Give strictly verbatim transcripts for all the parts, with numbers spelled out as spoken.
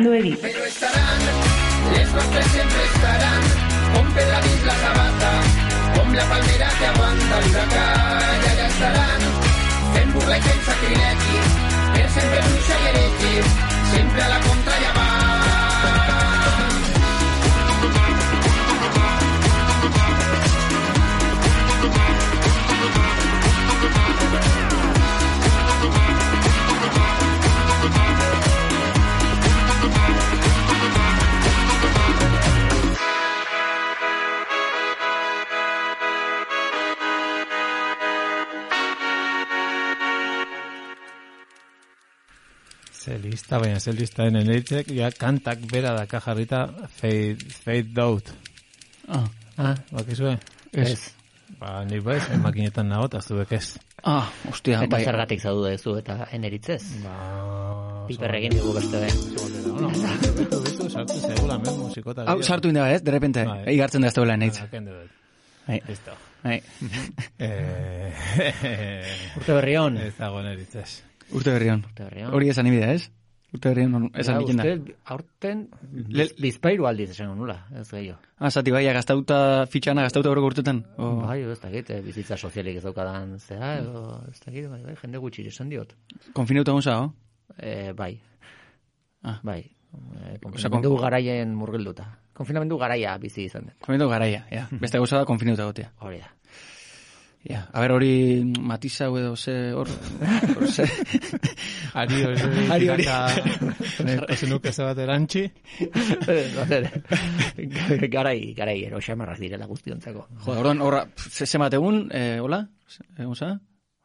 Beranduegi. Pero estarán, estos tres siempre estarán, con Pedradís la sabata, con la palmera que aguanta el huracán, allà estarán, fent burla i fent sacrilegi, per sempre bruixa i heretge, sempre a la contra ja va. Ze lista, baina ze lista den eneitzek, ja kantak bera daka jarrita fade, fade out. Ah, Ah, bakizue? ez. Ba, nik baiz, makinetan nago, eta zuek ez. Ah, ostia, Eta bai. zergatik zaudu dezu eta eneritzez. Ba... Piperregin dugu beste be. No, betu, betu, sartu zegula, men, musikota. Hau, sartu inda, ez? De repente, Bai. igartzen da ez daula nahitz. Kende dut. Bai. Listo. Bai. Eh, Urte berri hon. Ez dago neritzez. Urte berrion. Urte berri hon. Hori esan ibidea, ez? Urte berrion esan Ja, ikin da. uste, aurten Le- bizpairu aldiz esan nula, ez gehiago. Ah, zati bai, gaztauta fitxana, gaztauta horrek urtetan. Oh. Bai, ez dakit, eh, bizitza sozialik ez daukadan zera, edo ez dakit, bai, bai, jende gutxi esan diot. Konfinauta gonsa, oh? Eh, bai, Ah. bai. Eh, konfinamendu garaien murgilduta. Konfinamendu garaia bizi izan dut. Konfinauta garaia, ja. Beste gauza da konfinauta gotea. Hori da. Ja, a ber, hori matiza edo ze hor... hor ze... Ari hori, Ari hori. Ese nuke ze bat erantzi. garai, garai, ero xamarrak direla guztiontzako. Jo, orduan, horra, ze, ze bat egun, eh, hola? Egun za?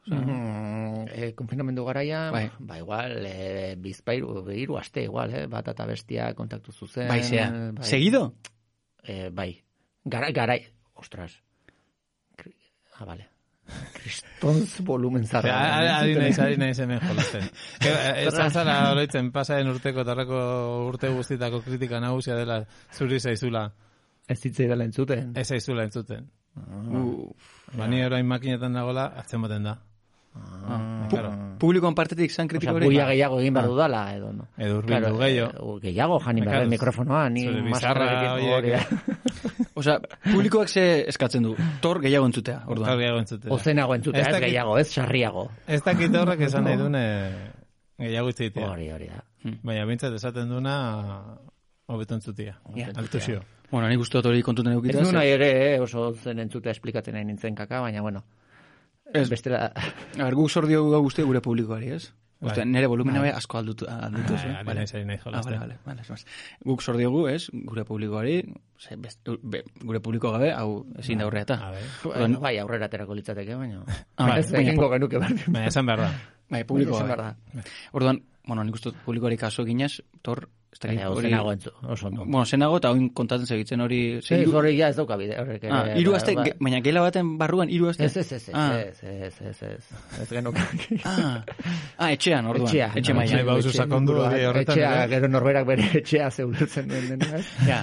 Mm, eh, konfinamendu garaia, Bai. ba igual, eh, bizpairu, hiru aste igual, eh, bat eta bestia kontaktu zuzen. Bai, zea. bai. Seguido? Eh, bai. Gara, garai, ostras. Kri- Ah, vale. Kristonz volumen zarra. Ari naiz, ari naiz hemen jolasten. Ez zara oroitzen pasaren urteko tarrako urte guztitako kritika nagusia dela zuri zaizula. Ez zitzei dela entzuten. Ez zaizula entzuten. Uh, Bani orain makinetan dagoela, hartzen baten da. ah. Claro. Publikoan partetik zan Osea, kritiko hori? buia gehiago egin behar dudala, edo no. Edo urbildu gehiago. eh, gehiago jani behar Claro, mikrofonoa, ni zure maskararekin bizarra hori da. Osea, publikoak ze eskatzen du? Tor gehiago entzutea, orduan. Gaur gehiago entzuten. Ozenago entzutea, Ez ez dakit- gehiago, ez sarriago. Ez dakit horrek esan nahi dune gehiago itzitea. Hori, hori da. Baina bintzat esaten duna hobeto entzutia. Ja. Altusio. Bueno, nik uste dut hori kontuten Ez eukitaz. du nahi ere, eh, oso zen entzutea esplikatzen nahi nintzen kaka, baina bueno. Ez. Bestela, A ber, guk zor diogu gau guzti gure publikoari, ez? Bai. Ostia, nire volumena be asko aldutu, aldutu Bai, zen. ari naiz, ari naiz Ah, jolasten. vale, vale, vale, esmaz. Guk zor diogu, ez? Gure publikoari, ze, best, be, gure publiko gabe, hau ezin da aurrea A eta. ver. bueno, bai, aurrera aterako litzateke, baina... Ah, bai, ez baina egingo genuke behar. Baina esan behar da. Bai, publiko Esan gabe. behar da. Orduan, bueno, nik uste dut publikoari kaso eginez, tor, ez dakit Baina, hori... ozenago entzu, oso ondo. Bueno, zenago eta oin kontatzen segitzen hori... ze Ez, hiru- hori ja ez dauka bide, horrek ere. Ah, hiru ba- aste, ba- ge- baina gela baten barruan hiru aste? Ez, ez, ez, ez, Ah. ez, ez, ez, ez, ez genuke. Ah, ah, etxean, orduan. Etxea. Etxe Nahi mailan. bauzu sakondu hori horretan. Etxea, ere. gero norberak bere etxea zeulertzen duen dena, ez? Ja.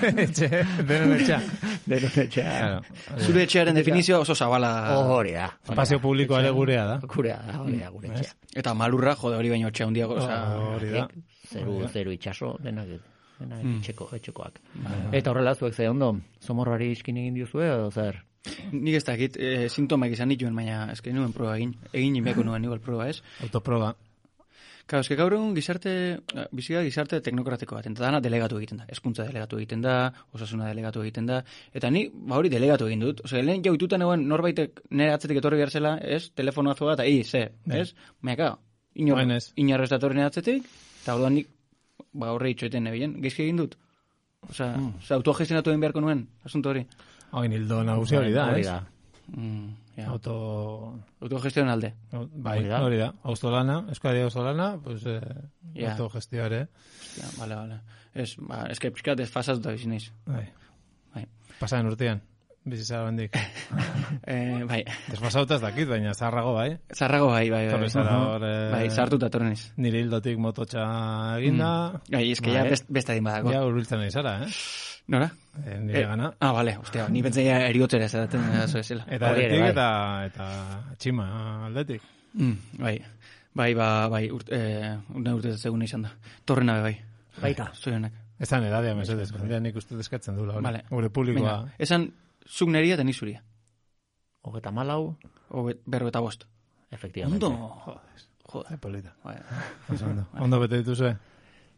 Etxe, denon etxa. Denon etxea. Claro. Zure etxearen definizioa oso zabala. Hori da. hori Espazio da. publikoa ere gurea da. Gurea da, hori da, gure etxea. Eta malurra, jode hori baino etxea hundiago, oza... Hori da. Zeru, zeru itxaso, denak, denak etxeko, etxekoak. Eta horrela, zuek ze ondo, somorrari iskin egin diozue, edo zer? Nik ez dakit, e, sintomak izan nituen, baina eske nuen proba egin. Egin inbeko nuen igual proba, ez? Autoproba. Claro, eske gaur egun gizarte, bizia gizarte teknokratiko bat, eta dana delegatu egiten da. Hezkuntza delegatu egiten da, osasuna delegatu egiten da, eta ni, ba hori delegatu egin dut. Osea, lehen jau itutan egon norbaitek nire atzetik etorri behar zela, ez? Telefonoa zoa eta, i, ze, ez? Baina, kao, inor, Orain ez. inorrez datorri nire atzetik, eta orduan nik, ba horre itxoeten nebien, geizki egin dut. Osea, mm. osea autogestionatu egin beharko nuen, asunto hori. Hain hildo nagusia hori da, Hori ez? da. Mm, ja. Auto... Autogestion alde. Bai, Hori da. hori da. Auzolana, Euskadi auzolana, pues, eh, Ja. autogestioa ere. Ja, vale, vale. Ez, ba, eske pixkat desfasatuta bizi naiz. Bai. Bai. Pasaren urtean, bizizara bendik. Eh, bai. Desfasauta ez dakit, baina zaharrago, bai. Zarrago bai, bai, bai. Torri zara hor... eh, Bai, sartuta torren naiz. Nire hildotik mototxa eginda, Bai, eske ja Vale. best, beste adin badako. ja urbiltzen nahi zara, eh? Nora? Eh, Nire gana. Ah, vale, ostia, ni pentsaia eriotzera esaten eso esela. Eta Hori ere, aldetik bai. eta, eta txima aldetik. Mm, bai. Bai, ba, bai, urte, eh, urte urte zegoen izan da. Torrena be bai. Baita. Zorionak. Esan edadea mesedez, jendea nik uste eskatzen dula. Vale. Gure publikoa. Venga, esan zuk neria eta nik zuria. Hogeta malau, Berro eta bost. efectivamente. Ondo. Joder, Joder. polita. Bai. Oso Ondo, ondo bete dituzue.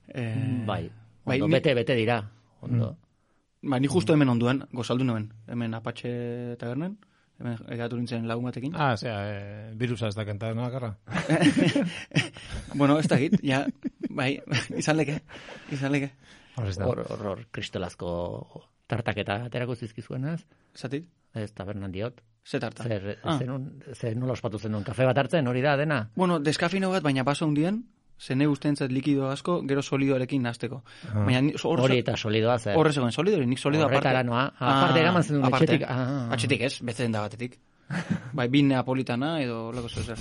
Eh, Bai, bai, ondo, ni- bete, bete dira. Ondo. Ba, ni justo hemen onduan, gozaldu nuen. Hemen Apache tabernen, hemen egatu nintzen lagun batekin. Ah, zera, eh, virusa ez da kanta, no, akarra? Bueno, ez da git, ja, bai, izan leke, izan leke. Hor ez da. Hor, hor, hor, kristolazko tartaketa aterako zizkizuenaz, Zatit? ez tabernan diot. Ze tarta? Zer, Ah. zenun, zer nola ospatu zenun, kafe bat hartzen, hori da, dena? Bueno, deskafino bat, baina baso hundien, zene ustentzat likido asko, gero solidoarekin nazteko. Ah. Baina ni- hor, Hori eta solidoa zer. horre zegoen solidori, nik solido aparte. Horretara noa. Aparte eraman zenun aparte. etxetik. Ah. Atxetik ez, betzen da batetik. Bai, bin neapolitana edo lako zer.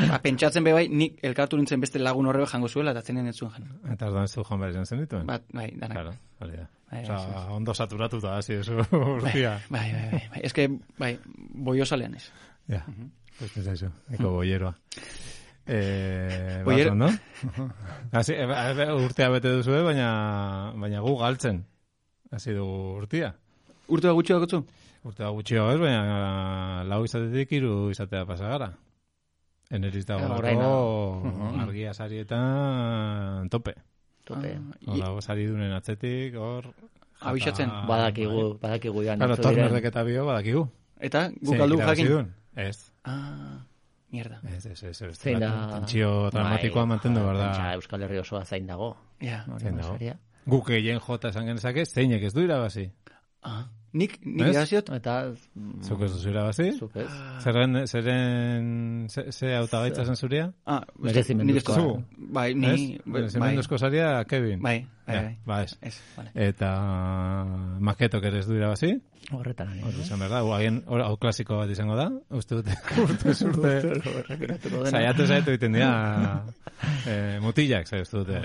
Ba, pentsatzen be bai, nik elkartu nintzen beste lagun horrebe jango zuela, eta zenen ez zuen jan. Eta ordan ez du joan behar izan zen dituen. Bat, bai, danak. Claro, hori da. Bai, Osa, ondo saturatuta hasi eso urtia. Bai, bai, bai, bai. Ez que, bai, boio salean ez. Ja, pues ez aizu, eko boieroa. Eh, Boiero- baso, no? Hasi, e, e, urtea bete duzue, baina, baina gu galtzen. Hasi du urtia. Urte bat gutxi dakotzu? Urtea gutxio ez, baina lau izatetik hiru izatea pasagara. Eneriz Ja, dago oraina. uh argia sarietan tope. Tope. Ah, Hor dago sari dunen atzetik, hor... Abixatzen. jata- Badakigu, badakigu joan. Claro, hartu diren. tornerdek eta bio badakigu. Eta, guk Zein aldu irabazi jakin. duen? Ez. Ah, mierda. Ez, ez, ez, ez. Zein da... Tentsio dramatikoa Bai, mantendu behar da. pentsa, Euskal Herri osoa zain dago. Ja. Hori Zein da, dago. saria. Guk egin jota esan genezake, zeinek ez du irabazi. Ah, nik, nik Ez? irabaziot? Eta... mm, Zuk ez duzu irabazi? Zuk ez. Zerren, zeren, ze, ze hautagaitza zen zuria? Ah, Merezimenduzkoa. nik ez du. Bai, ni... Ez? bai, Zemenduzko saria, Kevin. Bai, bai, Ja, bai. ba ez. Ez, vale. Eta maketok ere ez du irabazi. Horretan. ari, Hori eh? izan behar da, gu, agian, hor, hau klasiko bat izango da. Uste dute, urte zurte. Errepikatuko dena. Zaiatu zaiatu egiten dira eh, mutilak, zaitu dute.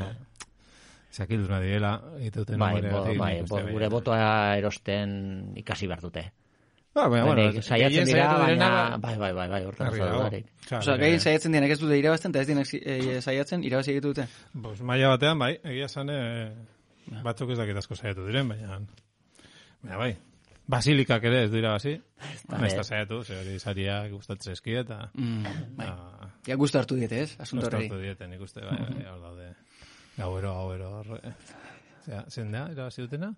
Zakilduna direla, egiten Bai, bo, bai, bo, gure boto. botoa erosten ikasi behar dute. Ah, baina, bueno, Denek saiatzen gehien dira, saiatu direna, baina... Bai, bai, bai, bai, hortan Argi oso dago. dudarik. Claro, Osa, eh, gehien saiatzen dienak ez dute irabazten, eta ez dienak eh, saiatzen, irabazi egite dute. Pues maila batean, bai, egia esan eh, batzuk ez dakit asko saiatu diren, baina... Baina, bai, basilikak ere ez du irabazi. Naiz eta saiatu, ze hori sariak gustatzen eskia, eta... Mm, bai. Ah, Ja, gustu hartu diete, ez? Asunto horreri. Gustatu dieten, ikuste, bai, bai, hor daude. Gauero, gauero, hor... eh. Zea, zein da, irabazi dutena?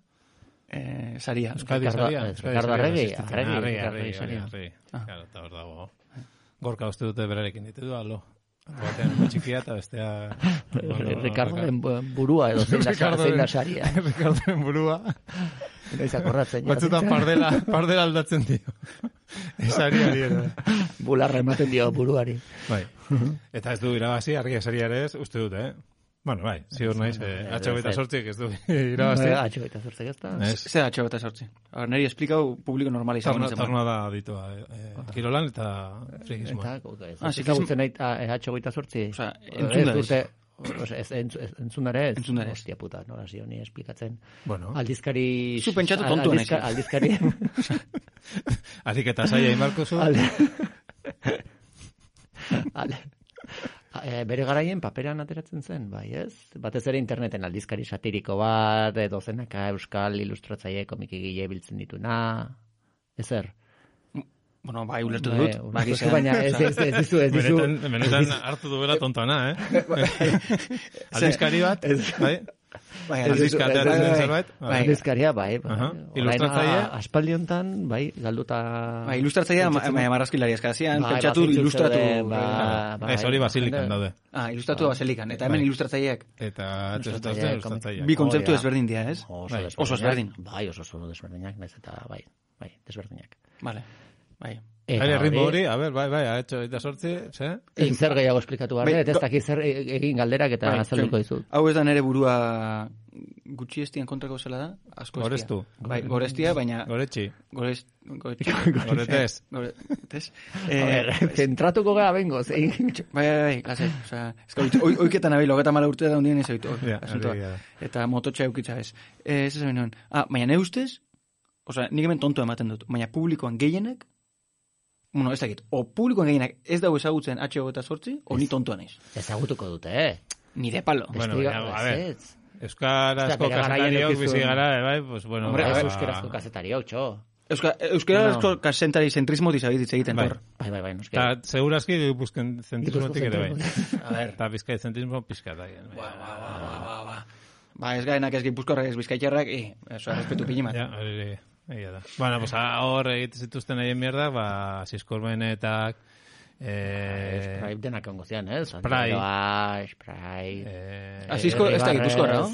Eh, saria. Euskadi Ricardo- saria. eh, Euskadi Ricardo saria Arregi, existitzen. Arregi, Arregi, Ricardo Arregi, saria. Arregi. Ah. Claro, eta hor dago. Gorka uste dute berarekin ditu du, alo. Batean txikia eta bestea... Ricardoren burua edo zein da, zein da saria. Ricardoren burua. Noiz akordatzen. Batzutan pardela, pardela aldatzen dio. Esari ari ere. Bularra ematen dio buruari. Bai. Eta ez du irabazi, argia saria ere ez, uste dute, eh? Bueno, bai, ziur naiz, eh, atxo eta sortziek ez du irabazi. Atxo eta zortzek ez da. Ez. Zer atxo eta sortzi. Ahora, neri esplikau publiko normal izango Torna, nintzen. torna da ditua, eh, eh, kirolan eta frikismoa. Eta, ez Ah, ezagutzen nahi atxo goita zortzi. Osea, entzun da Ez ez. dute, osea, ez, entz, ez, entzun dara ez? Entzun dara ez. Hostia puta, nola zio ni esplikatzen. Bueno, Aldizkari... Zu pentsatu tontua naiz. Aldizkari... harik eta saia inbarko zu. Alde... Alde... E, bere garaien paperan ateratzen zen, bai, ez? Batez ere interneten aldizkari satiriko bat, edo zenaka euskal ilustratzaile komikigile biltzen dituna, ezer? Bueno, bai, ulertu Bai, dut. ulertu Bai, duzu, baina ez, ez, ez dizu, ez dizu. Benetan, benetan hartu duela tontana, eh? Aldizkari bat, bai? Bai, Aldizka bai, ateratzen bai, den bai. zerbait. Bai. Aldizkaria, bai. bai. Aha. Orain, Ilustratzaile? a- Aspaldi hontan, bai, galduta... Bai, ilustratzailea ma- Pentsatzen- ma- marrazkilari eskazian, Bai, pentsatu bazaitu ilustratu. zeuden, ba, eh, bai. Ez hori basilikan daude. Ah, ilustratu baselikan. Eta hemen Bai. ilustratzaileak. Eta Ilustratzaile, ilustratzaile. Bi kontzeptu Hori da. ezberdin dira, ez? Oso Bai. desberdinak. Oso ezberdin. Bai, oso oso desberdinak, naiz eta bai, bai, desberdinak. Vale. Bai. Eta Bai, ritmo hori- hori, a ber, bai, bai, ha hecho eta sortzi, ze? Egin zer gehiago esplikatu behar, Bai, eta ez go- dakit zer e- egin galderak eta Bai, azalduko zen. dizut. Hau ez da nere burua gutxi estien kontrako zela da? Asko estia. Goreztu. Bai, gorestia, baina... Goretxi. Gorez... Goretxi. Goretez. Goretez. A ber, zentratuko gara bengo, zein... Bai, bai, bai, lasai. Osea, ez gaur, oi, oiketan abil, hogeta mala urte da hundien ez oitu. Ja, asuntoa. argi da. Eta mototxa eukitza ez. Eh, ez esan nuen. Ah, baina ne ustez, osea, nik hemen tonto ematen dut, baina publikoan gehienek, bueno, ez dakit, o publikoan gehienak ez dago ezagutzen H eta sortzi, o ni tontoa naiz. Ezagutuko dute, eh? Ni de palo. Bueno, Espliga- baina, a ver. ez, Euskarazko kazetariok bizi gara, bai, pues bueno. Hombre, ba, euskarazko kazetariok, txo. Euska, euskarazko no. Kasentari zentrismo dizabititz egiten, bai. tor. Bai, bai, bai, noski. Ta, segurazki gipuzken zentrismotik ere bai. A ver. Ta bizkai zentrismo pizkat da. Ba, ba, ba, ba, ba. Ba, ez gaenak ez gipuzkorrak ez bizkaitxarrak, i, eso, respetu pinimat. Ja, hori, egia da. Bueno, pues hor egite zituzten haien mierda, ba, Siskormenetak, eh... Spray denak ongo zian, eh? Spray. Spray. Eh... Asisko, ez da gipuzkorra, no?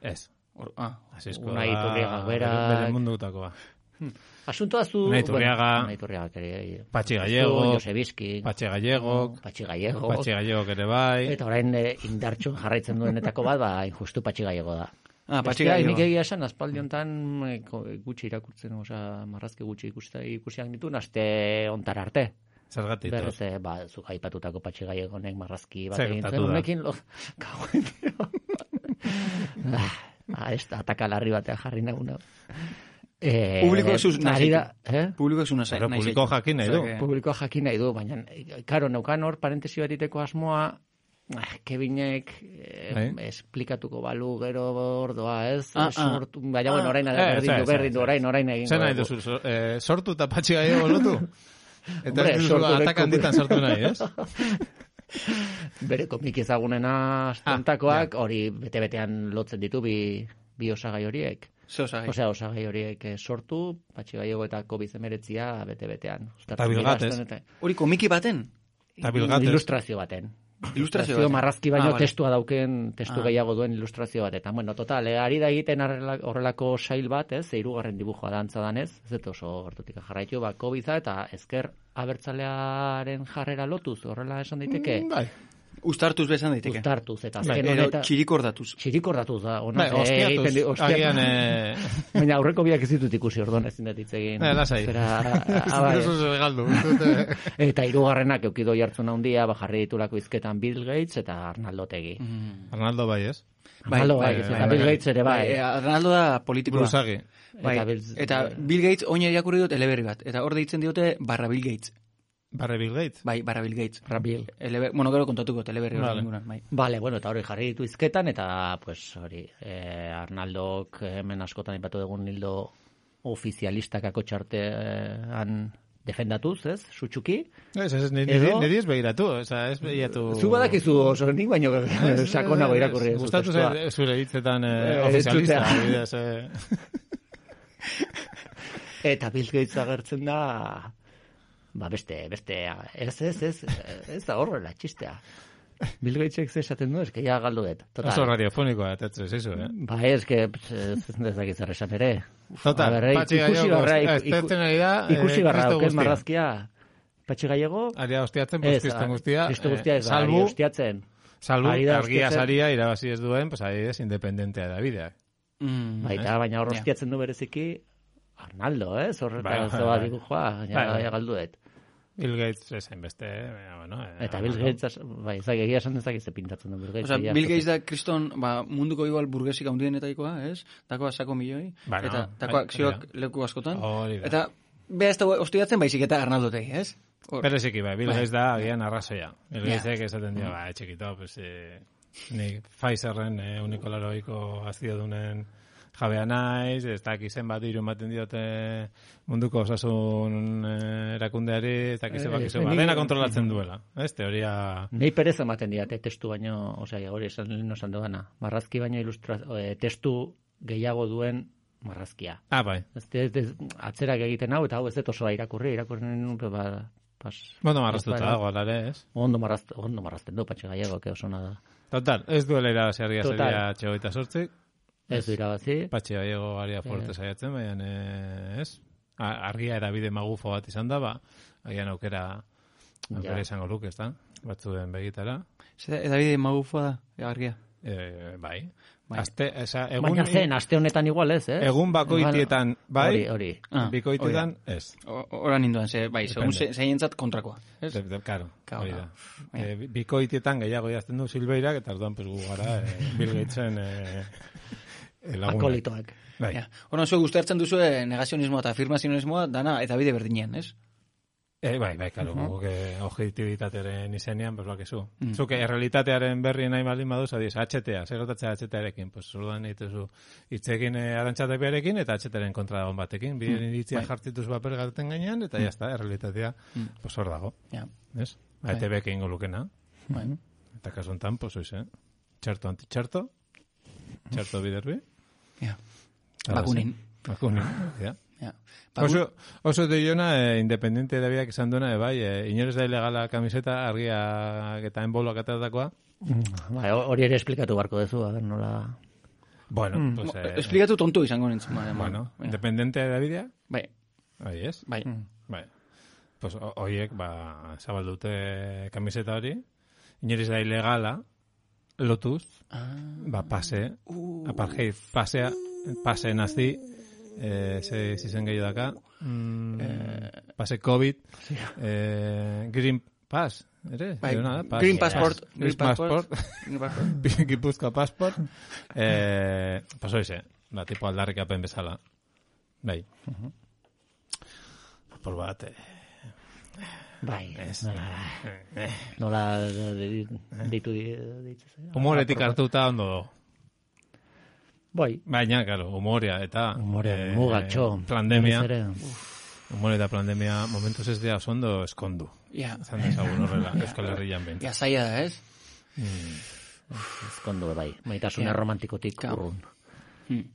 Ez. Ah. Asisko Unai Iturriaga berak. Bere mundutakoa. Asuntoa zu... Unai Iturriaga. Unai Iturriaga ere. Patxi Gallego. Josebizki. Patxi Gallegok. Patxi Gallego. Patxi Gallegok ere bai. Eta orain eh, indartxun jarraitzen duenetako bat, ba, injustu Patxi Gallego da. Ah, Patxi Bestea, Gallego. Nik egia esan, aspaldi honetan eh, gutxi irakurtzen, oza, marrazki gutxi ikusta, ikusiak ditu, aste ontar arte. Zergatik. Berez, eh, ba, zuk aipatutako Patxi Gallegonek marrazki bat Zer egin gertatu zen, da? honekin, lo... Kauen, tio. Ah, ez da, ataka larri batean jarri naguna. Eh, Publiko zuz nahi da, eh? Publiko ez una zai. Pero publiko jakin nahi du. Publikoa jakin nahi du, baina, karo, neukan hor, parentesi bat iteko asmoa, ah, Kevinek eh, Bai. esplikatuko balu gero ordoa, ez? Ah, ah. Sortu, baina, bueno, orain, Eh, berdin ez, du, ez, berdin du, ez, orain, orain egin. Zer nahi duzu, so- eh, sortu eta Patxi Gallego lotu? Eta Hombre, ez duzu sortu atak lekuko- handitan sortu nahi, ez? Bere komik ezagunena astontakoak, hori bete-betean lotzen ditu bi, bi osagai horiek. Ze osagai. Osea, osagai horiek eh, sortu, Patxi Gallego eta covid hemeretzia bete-betean. Ta bilgatez. Hori komiki baten? Eta bilgatez. Ilustrazio baten. Ilustrazio baten. marrazki baino Ah, vale. testua dauken, testu Ah. gehiago duen ilustrazio bat. Eta, bueno, total, eh, ari da egiten horrela- horrelako sail bat, ez, hirugarren dibujoa dantza danez, ez dut oso gertutik jarraitu, ba, COVID-a eta ezker abertzalearen jarrera lotuz, horrela esan daiteke, Bai. Uztartuz bezan daiteke. uztartuz, eta Bai, azken Edo honetan... txirikordatuz. Txirikordatuz da, ona, Bai, ostiatuz. Agian, eh... Baina aurreko biak ez ditut ikusi orduan ezin dut hitz egin. Eh, lasai. Zera, ah, bai. Eso se galdu. Dute- Eta hirugarrenak eukido jartzen handia, ba jarri ditulako hizketan Bill Gates eta Arnaldo Otegi. Arnaldo bai, ez? Bai, Arnaldo bai, bai, bai, eta bai, Bill bai. Gates ere bai. Bai, Arnaldo da politikoa. Buruzagi. Bai, Eta Bill- eta Bill Gates oina irakurri dut eleberri bat. Eta hor deitzen diote barra Bill Gates. Barre Bill Gates. Bai, barra Bill Gates. Rabil. Eleber, bueno, gero kontatuko teleberri hori Vale. inguruan, bai. Vale, bueno, eta hori jarri ditu hizketan, eta, pues, hori, eh, Arnaldok hemen askotan ipatu dugun hildo ofizialistakako txartean defendatuz, ez, sutxuki. Ez, ez, niri, Edo- niri ez begiratu, oza, ez begiratu... Zu badakizu oso nik baino sakonago irakurri duzu Gustatu testua. zure, zure hitzetan eh, Eh, ofizialista, entzutea. adibidez, eh. Eta Bill Gates agertzen da, ba beste, beste, ez, ez, ez, ez da horrela txistea. Bill Gatesek ze esaten du, eske ja galdu dut. Total. Oso radiofonikoa, eta ez zizu, eh? Ba, ez, que, ez ez dakit zer esan ere. Total, A ber, Patxi ikusi Gallego, barra, ez iku- tertzen ari da, eh, ikusi barra, Kristo auken guztia. marrazkia, Patxi Gallego, Aria hostiatzen, ez, postistan guztia, Kristo eh, guztia ez da, ari salbu, hostiatzen. salbu, ari da argia hostiatzen. saria irabazi ez duen, pues adibidez, independentea da bidea. Mm. Baita, baina hor Ja. hostiatzen du bereziki, Arnaldo, ez? Bai, Horretan bai, zoa bai. dibujua, Bai, ja, bai. ja galdu dut. Bill Gates ezain beste, eh, bueno... eh, Eta Bill bueno. Gates, bai, ez dakit, egia esan ez dakit ze pintatzen du Bill Gates. Osea, egia Bill esaten. Gates da kriston, ba, munduko igual burgesik handienetaikoa, ez? Dakoa sako milioi, Bueno, eta bai, dakoa akzioak hori leku askotan. Hori da. Eta, beha ez da hostiatzen baizik eta Arnaldotegi, ez? Hor. Bereziki, bai, Bill Bai. Gates da, agian arrazoia. Bill Ja. Gatesek esaten dio, ba, txikito, pues, eh, nik Pfizerren eh, unikoloroiko azio dunen jabea naiz, ez dakit zenbat diru ematen diote munduko osasun eh, erakundeari, ez dakit zenbat, Eh, zenbat, ni- dena kontrolatzen duela. Ez, teoria... Nei perez ematen diate testu baino, osea, hori esan lehen esan dugana. Marrazki baino ilustra, eh, testu gehiago duen marrazkia. Ah, bai. Ez, ez, ez atzerak egiten hau, eta hau ez dut oso irakurri, irakurri nun, ba, pas... Bueno, marraztuta pas- dago, alare, ez? Ondo marrazten, ondo marrazten du, Patxi Gallego, que oso nada. Total, ez duela irabazi argia Total. zeria txegoita sortzik, Ez du irabazi. Patxi Gallego aria forte saiatzen, baina eh, ez? A- Argia edabide magufo bat izan da, ba, agian aukera aukera Ja. izango luke, ez da? Batzuen begitara. Zer, edabide magufoa da, argia. Eh, bai. Bai. Aste, esa, egun, Baina zen, aste honetan igual ez, eh? egun bakoitietan, bai, Hori, hori. Ah, bikoitietan, ez. O- Horan ninduan, ze, bai, segun Depende. ze- zeientzat kontrakoa. Ez? De, de, claro, Claro, hori da. Bai. Eh, bi- bikoitietan gehiago jazten du Silveirak, eta orduan pues, gu gara eh, Bill Gatesen eh, eh, lagunak. Akolitoak. Bai. Ja. Horan zuek uste hartzen duzue negazionismoa eta afirmazionismoa dana eta bide berdinean, ez? E, bai, bai, karo, uh-huh. Guke objektibitatearen izenean, pues bakizu. Mm. Zuke, errealitatearen berri nahi baldin baduz, adiz, H T A, zer gotatzea H T A-rekin, pues, urduan egitezu hitzekin eh, arantxatek beharekin, eta H T A-ren kontra dagoen batekin, bideen mm. iritzia bai. Jartituz paper gaten gainean, eta mm. jazta, errealitatea, mm. pues, hor dago. Ja. Ez? Bai. A E T B-ek ingo lukena. Bai. Eta kasuntan, pues, oiz, eh? Txerto anti-txerto, txerto biderbi. Ja. Bakunin. Bakunin, ja. Ja. Oso, oso deiona, eh, independiente da biak izan duena, eh, bai, eh, inorez da ilegala kamiseta, argia eta enboloak atatakoa. Bai, hori ere esplikatu barko dezu, a ver, nola... Bueno, mm. pues... Eh, esplikatu tontu izango nintzen. Bai, bueno, bai. Independiente da bidea? Bai. Bai, ez? Bai. Mm. Bai. Pues horiek, ba, zabaldute kamiseta hori, inorez da ilegala, lotuz, ah. ba, pase, uh. apartheid, pasea, pase nazi, Eh, se si zen gehiago daka mm, eh, pase COVID sí. eh, Green Pass ere? Bai, Pass, Green Passport Pass, Green Passport Gipuzkoa Passport eh, paso ese ba, tipo aldarrik apen bezala bai uh-huh. Por bat eh, bai es, nola eh, nola ditu ditu humoretik hartuta ondo do Bai. Baina, claro, humorea eta... Humorea, eh, mugatxo. Pandemia. Humore eta pandemia momentuz ez dira ondo eskondu. Ja. Zan dezagun horrela, Euskal Herrian bent. Ja, zaila da, ez? Mm. Eskondu, bai. Maitasuna ja. Romantikotik urrun. Hmm.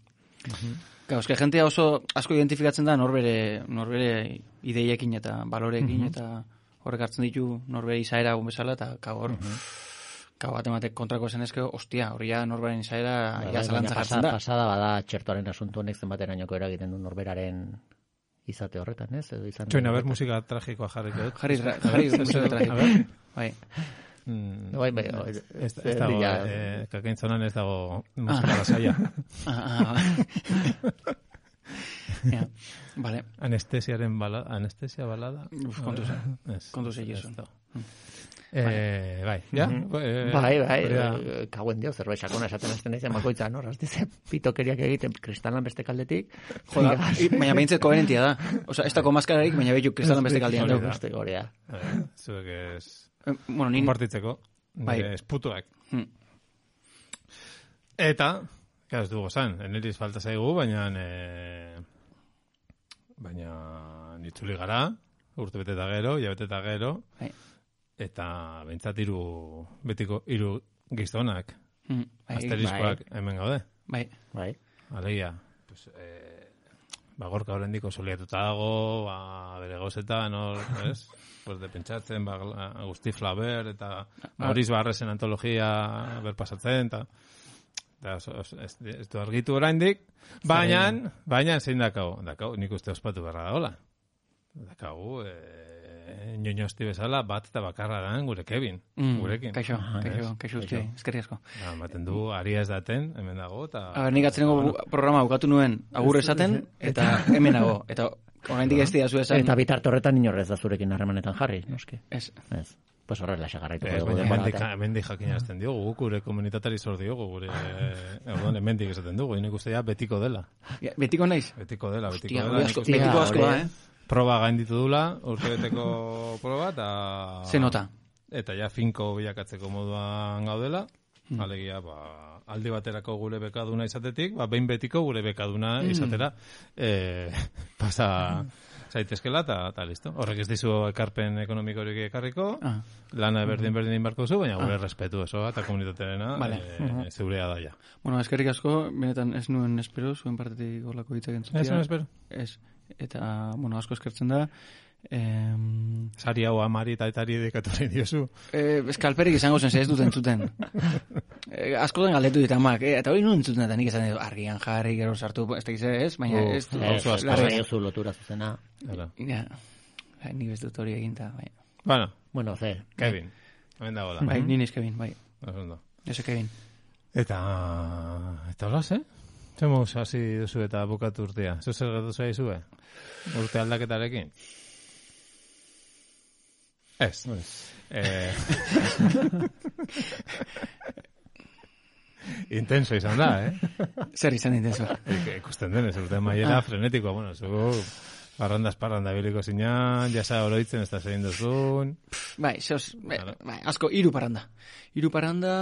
Uh-huh. Gau, eske jentea oso asko identifikatzen da norbere, norbere ideiekin eta baloreekin uh-huh. eta horrek hartzen ditu norbere izaera bezala eta gau hor... Uh-huh. Gau bat ematek kontrako zen ezkeo, ostia, hori ja norberen izaera ja zalantza jartzen da. Pasada bada txertoaren asuntu honek zenbaten ainoko eragiten du norberaren izate horretan, ez? Edo izan Txoin, a ber, musika tragikoa jarriko dut. Jarri, jarri, musika tragikoa. Bai. Bai, bai. Ez dago, kakaintzonan ez dago musika lasaia. Ah, ah, ja, vale. Anestesiaren balada, anestesia balada. Kontu ze, kontu ze jesu. Eh, bai, ja? Mm-hmm. Bai, bai, bai, kauen dio, zerbait sakona esaten azten nahi makoitza, no? Rastize, pitokeriak egiten kristalan beste kaldetik. Joda, baina behintzet koherentia da. Osa, ez dako maskararik, baina behitu kristalan beste kaldean dugu. Beste gorea. Zuek ez... Bueno, nin... Kompartitzeko, esputuak. Eta, ez dugu zan, eneriz falta zaigu, baina... Baina nitzuli gara, urte bete eta gero, ja bete eta gero... Eta bentsat iru betiko iru gizonak mm, bai, asterizkoak bai. Hemen gaude. Bai, bai. Alegia, pues eh ba gorka orendiko soliatuta dago, ba bere gozetan, hor, ez? Pues de pentsatzen, ba Agustí Flaber eta Maurice Barresen antologia ber pasatzen ta da ez du argitu oraindik, baina baina zein dakau, dakau, nik uste ospatu berra dagola. Dakau, eh ñoñosti bezala bat eta bakarra da gure Kevin, mm, gurekin. Kaixo, kaixo, kaixo uste, eskerri asko. Ja, maten du, aria ez daten, hemen dago, eta... A ber, nik atzenengo bueno. Programa bukatu nuen agur esaten, eta hemen dago, eta oraindik ez dira zu esan... Eta bitarte horretan inorrez da zurekin harremanetan jarri, noski? Ez. Ez. Pues horrela segarraitu. Ez, baina hemendik jakin azten diogu, guk gure komunitatari zor diogu, gure... Egon, hemendik esaten dugu, inek uste ja betiko dela. Ja, betiko naiz? Betiko dela, betiko Hostia, dela. Asko, betiko asko da, eh? Proba gainditu dula, urtebeteko proba, eta... Ze nota. Eta ja finko bilakatzeko moduan gaudela, mm. alegia, ba, aldi baterako gure bekaduna izatetik, ba, behin betiko gure bekaduna mm. izatera, e, pasa zaitezkela, eta listo. Horrek ez dizu ekarpen ekonomikorik ekarriko, ah. lana berdin berdin inbarko zu, baina gure ah. respetu eso, eta komunitatearena vale. e, uh-huh. zeurea daia. Bueno, eskerrik asko, benetan ez nuen espero, zuen partetik gorlako hitzak entzutia. Ez nuen espero? Ez. Eta, bueno, asko eskertzen da. Eh, Sari hau amari eta etari edekatuaren diozu. Eh, eskalperik izango zen, ez dut entzuten. eh, asko den galdetu dit amak, eh? Eta hori nuen entzuten eta nik esan edo, argian jarri, gero sartu, ez da gize, ez? Baina ez... Oso asko zaiozu lotura zuzena. Ja, nik ez dut hori eginta, bai. Bueno, bueno, ze. Kevin, hemen dago da. Bai, niniz Kevin, bai. Osondo. Ese Kevin. Eta, eta hola, ze? Zemuz, hasi duzu eta bukatu urtea. Zer zer gatu zaizu, eh? Urte aldaketarekin? Ez. eh... intenso izan da, eh? Zer izan intenso? Ikusten denez, urte maiera ah. frenetikoa. Bueno, zu Parrandaz parranda biliko zinan, jasa oroitzen ez da zein duzun. Bai, zehoz, bai, bai, asko, hiru parranda. Hiru parranda,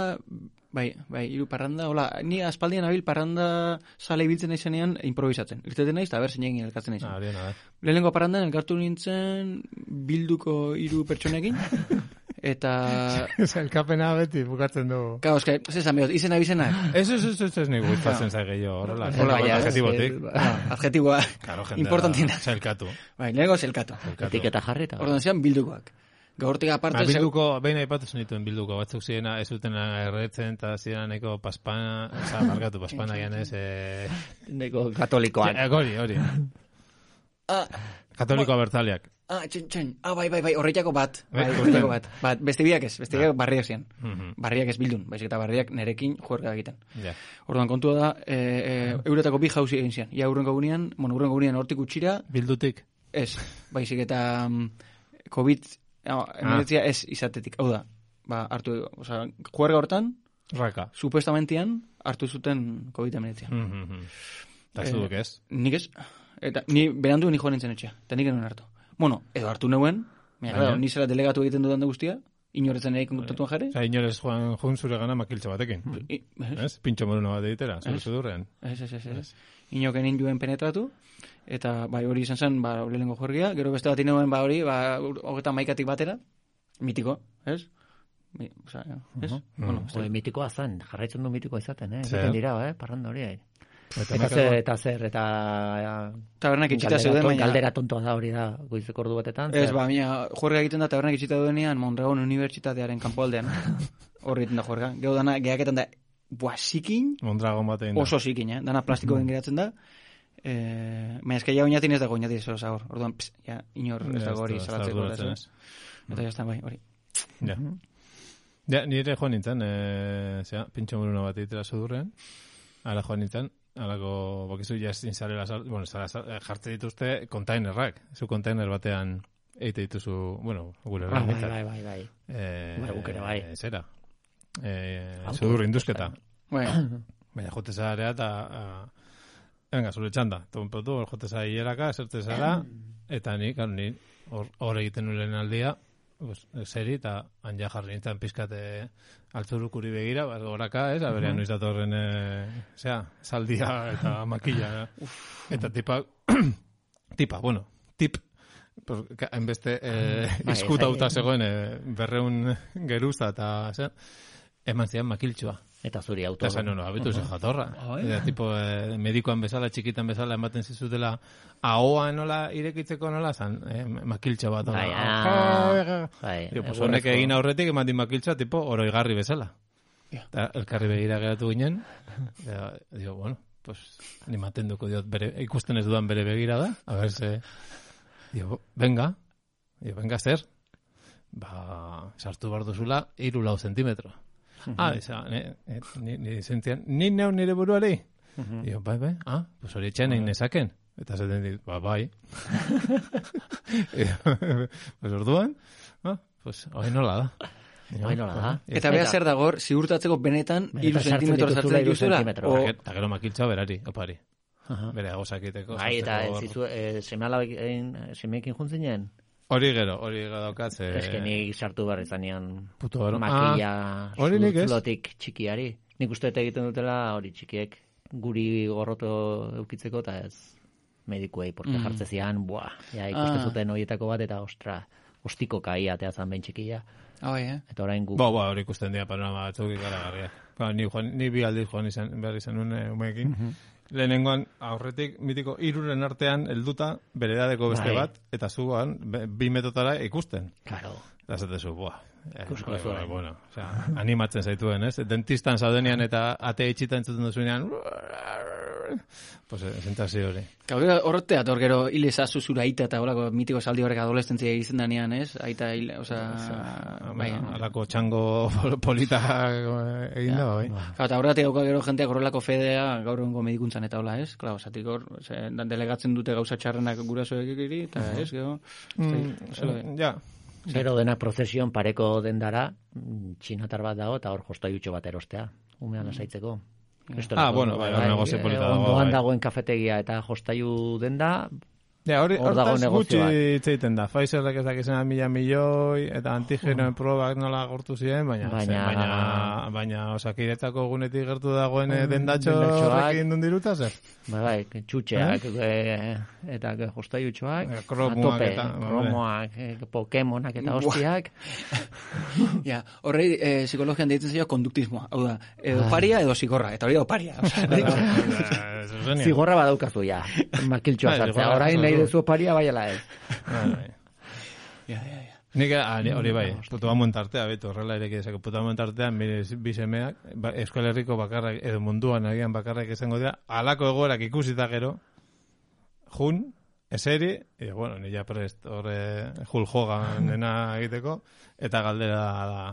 bai, bai, hiru parranda, hola, ni aspaldian abil parranda sale ibiltzen naizenean improvisatzen. Irteten naiz, eta ber zein egin elkartzen naizen. Ah, bien, a ver. Lehenengo parrandan elkartu nintzen bilduko hiru pertsonekin, eta... Elkapena beti bukatzen dugu. Kao, eske, zesan behot, izena bizenak. Ez, ez, ez, ez, ez, nik gustatzen zaige jo, horrela. Hola, Hola, ja, adjetibotik. Adjetiboa, Claro, jendea, importantiena. Zelkatu. Bai, lehenengo zelkatu. Etiketa jarri eta. Orduan zian bildukoak. Gaurtik aparte... Ba, bilduko, behin aipatu zenituen bilduko, batzuk zirena ez zuten erretzen, eta zireneko paspana, oza, markatu paspana gianez, eh... Neko katolikoan. Ja, hori, hori. Ah, Katoliko abertzaleak. ah, txen, txen, ah, bai, bai, bai, horretako bat. Bai, Bai, horretako bat. Bat, beste biak ez, beste biak barriak zian. Mhm. Barriak ez bildun, baizik eta barriak nerekin juerga egiten. Ja. Orduan kontua da, e, e, euretako bi jauzi egin zian. Ia urrengo gunean, bueno, urrengo gunean hortik utxira, Bildutik. ez, baizik eta um, COVID, no, emeretzia ez izatetik. Hau da, ba, hartu, oza, juerga hortan, Raka. supuestamentian hartu zuten COVID emeretzia. Mhm. Eta zuduk ez. Nik ez, eta ni berandu ni joan nintzen etxea, eta nik genuen hartu. Bueno, edo hartu neuen, mira, Baina. claro, ni zela delegatu egiten dudan da guztia, inoretzen nahi kontaktatuan jarri. Osa, inorez joan, joan zure gana makiltxo batekin. I- Ez, Ez? Pintxo moruna bat egitera, zure Ez. sudurrean. ez, ez, ez, ez. Inoken induen penetratu, eta bai hori izan zen, ba, lehenengo jorgia, gero beste bat ineuen, ba hori, ba, hogeta maikatik batera, mitiko, ez? Mi, oza, ez? Bueno, ez da- Hori mitikoa zen, jarraitzen du mitikoa izaten, eh? Zer? Egiten dira, eh? Parranda hori, eh? Eta Eta makako- zer, eta zer, eta... tabernak itxita Galdera zeuden, ton- baina... Galdera tontoa da hori da, goizeko ordu batetan. Ez, zer? ba, mina, juerga egiten da tabernak itxita duenean, Mondragon Unibertsitatearen kanpoaldean. Horri egiten da juerga. Gero dana, gehaketan da, buah, zikin, Mondragon bat egin da. oso zikin, eh? Dana plastikoen geratzen da. Eh, baina eske ja oinatin ez dago oinatin ez hor. Orduan, pss, ja, inor ez dago hori ez da salatzeko. arduratzen, ez, ez? Eta jazta, bai, hori. Ja. Ja, nire joan nintzen, e, zera, pintxo moruna bat egitera sudurrean. Ara joan nintzen, alako, bakizu, jastin zarela, bueno, zara, zara, jartzen dituzte kontainerrak. Zu kontainer batean egite dituzu, bueno, gure Bai, herrian bai, bai, bai. Eh, Bai, guk ere bai. Zera. Eh, Auto- sudur induzketa. Bai, Baina jote zara eta... a, venga, zure txanda. Tonpotu, hor jote zara hileraka, zerte zara, eta ni, claro, ni hor, hor egiten nulen aldia, pues, seri, eta anja jarri nintzen pizkate altzurukuri begira, bat goraka, ez, aberean noiz datorren, e, zera, saldia eta makilla. Eta tipa, tipa, bueno, tip, pues, ka- hainbeste eh, Bai, izkutauta ez- zegoen eh, berreun geruza eta, zera, eman zian makiltxua. Eta zuri auto. Eta zan, no, abitu zen jatorra. Eta, tipo, eh, medikoan bezala, txikitan bezala, ematen zizutela, ahoa nola irekitzeko nola, zan, eh, makiltxa bat. Bai, ona. ah, bai, Dio, pues, egurrezko- honek egin aurretik, eman din makiltxa, tipo, oroigarri bezala. Ja. Eta elkarri begira geratu ginen, eta, dio, bueno, pues, animaten duko diot, bere, ikusten ez dudan bere begira da, a ver, ze, dio, venga, dio, venga, zer, ba, sartu behar duzula, iru lau zentimetro. Ah, esa, ni, ni, ni, sentian, ni neu nire buruari? Dio, bai, bai, ah, pues hori etxean egin nezaken. Eta zaten dit, ba, bai. Pues orduan, ah, pues hori nola da. Hori nola da. eta beha zer dago, hor, ziurtatzeko benetan, Benetan iru sartzen zentimetro dituzula, sartzen hiru dituzula, zentimetro. o, Eta gero makiltza berari, opari. Aha. Bere agosakiteko. Bai, eta ez sartzeko zizu, eh, semealabekin, semeekin juntzinen? hori gero, hori gero daukat, ze... Ez que nik sartu behar izanean Puto gero. makilla Ah, hori nik ez. zulotik txikiari. Nik uste eta egiten dutela hori txikiek guri gorroto eukitzeko eta ez medikuei, porque Mm. jartze zian, buah, ja ikusten Ah. zuten horietako bat eta ostra, ostiko kai atea zan behin txikia. ah, bai, eh? Eta orain gu... Ba, ba, hori ikusten dira panorama batzuk ikaragarria. Ba, ni, joan, ni bi aldiz joan izan, behar izan nuen eh, umeekin. Lehenengoan, aurretik, mitiko, iruren artean helduta bere edadeko beste Bai. bat, eta zuan, be- bi metotara ikusten. Claro. Eta zatezu, buah. Eh, Ikusko bai, zuen. bai, bueno, o sea, animatzen zaituen, ez? Dentistan zaudenean eta ate itxita entzuten duzunean, pues, eh, sentazio hori. Gero horretea, hor gero hil ezazu zura aita eta horako mitiko saldi horrek adolescentzia izan danean, ez? Aita hil, oza, bai. Alako txango polita eh, egin da, bai. Claro, eta horretik dauka gero jenteak horrelako fedea gaur egungo medikuntzan eta hola, ez? Claro, zatik hor, ze, delegatzen dute gauza txarrenak gurasoekiri, eta ez, gero... Mm, Zelo- ja, Gero dena prozesion pareko dendara, mm, txinatar bat dago, eta hor jostaiutxo bat erostea, umean lasaitzeko. Ah, bueno, bai, hor negozio polita dago, Ondoan bai. dagoen kafetegia eta jostaiu denda, Ja, hori, Hor dago hortaz negozio bat. gutxi itzeiten da. Pfizerrek ez dakizena mila milioi, eta antigenoen probak nola gortu ziren, baina, Baina- baina, baina, baina osakiretzako gunetik gertu dagoen eh, dendatxo dendatxoak. horrekin duen diruta, zer? Bai, bai, txutxeak, eh? eta jostaiutxoak, Eh, kromoak atope, eta- kromoak, eh, Pokemonak eta hostiak. Ja, horrei eh, psikologian deitzen zaio konduktismoa. Hau da, edo oparia edo zigorra, eta hori da oparia. Osea, Eh, zuzenean. Zigorra badaukazu ja, makiltxoa Bai, sartzea. zigorra Orain jaso nahi du. dezu oparia bai ala ez. Bai, bai. ja, ja, ja. Nik ah, ni- hori bai, puto amuen tartea, beto, horrela ere ezak, puto amuen tartean, bire bisemeak, ba, Euskal Herriko bakarrak, edo munduan agian bakarrak izango dira, alako egoerak ikusita gero, jun, eseri, e, bueno, nila prest, horre, Hulk Hoganena egiteko, eta galdera da,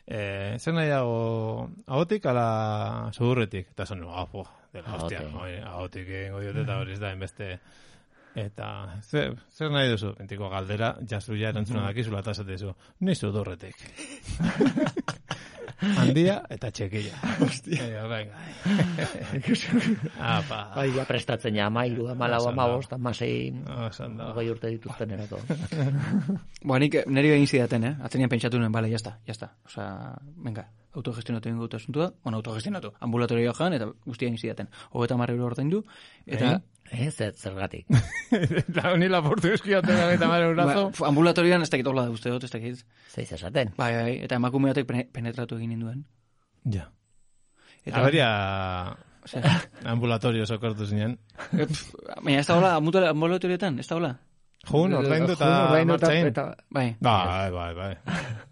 e, zer nahiago, ahotik ala sudurretik, eta zon, ah, po, dela, hostia, Ahotik. hori, ahotik egingo diote, eta hori ez da, enbeste, eta zer, zer nahi duzu? Entiko galdera, jazu ja erantzuna dakizula eta esatezu. Ni sudurretik. Handia eta txekilla. Hostia. E, venga. Apa. Bai, ja prestatzen ja, amairu, amalau, Osan da. amabost, amasei, Osan da. hogei urte dituzten erako. Ba, nik neri egin zidaten, eh? Atzenean pentsatu nuen, bale, jazta, jazta. Osa, venga, autogestionatu egin dut asuntua, bueno, autogestionatu, ambulatorioa joan, eta guztia egin zidaten. Hogeta marra euro ordaindu, eta... Eh, zer, zergatik. Eta honi laportu eskiaten eta mare urazo. Ba, ambulatorioan ez dakit hola da uste dut, ez dakit. Zeiz esaten. Bai, bai, eta emakume batek pene- penetratu egin ninduen. Ja. Eta, Aberia osea, ambulatorio sokortu zinen. eh, pf, baina ez da hola, ambula- ambulatorioetan, ez da hola. Jun, ordaindu eta Jun, ordaindu eta- martxain. eta- Bai, Bai, bai, bai.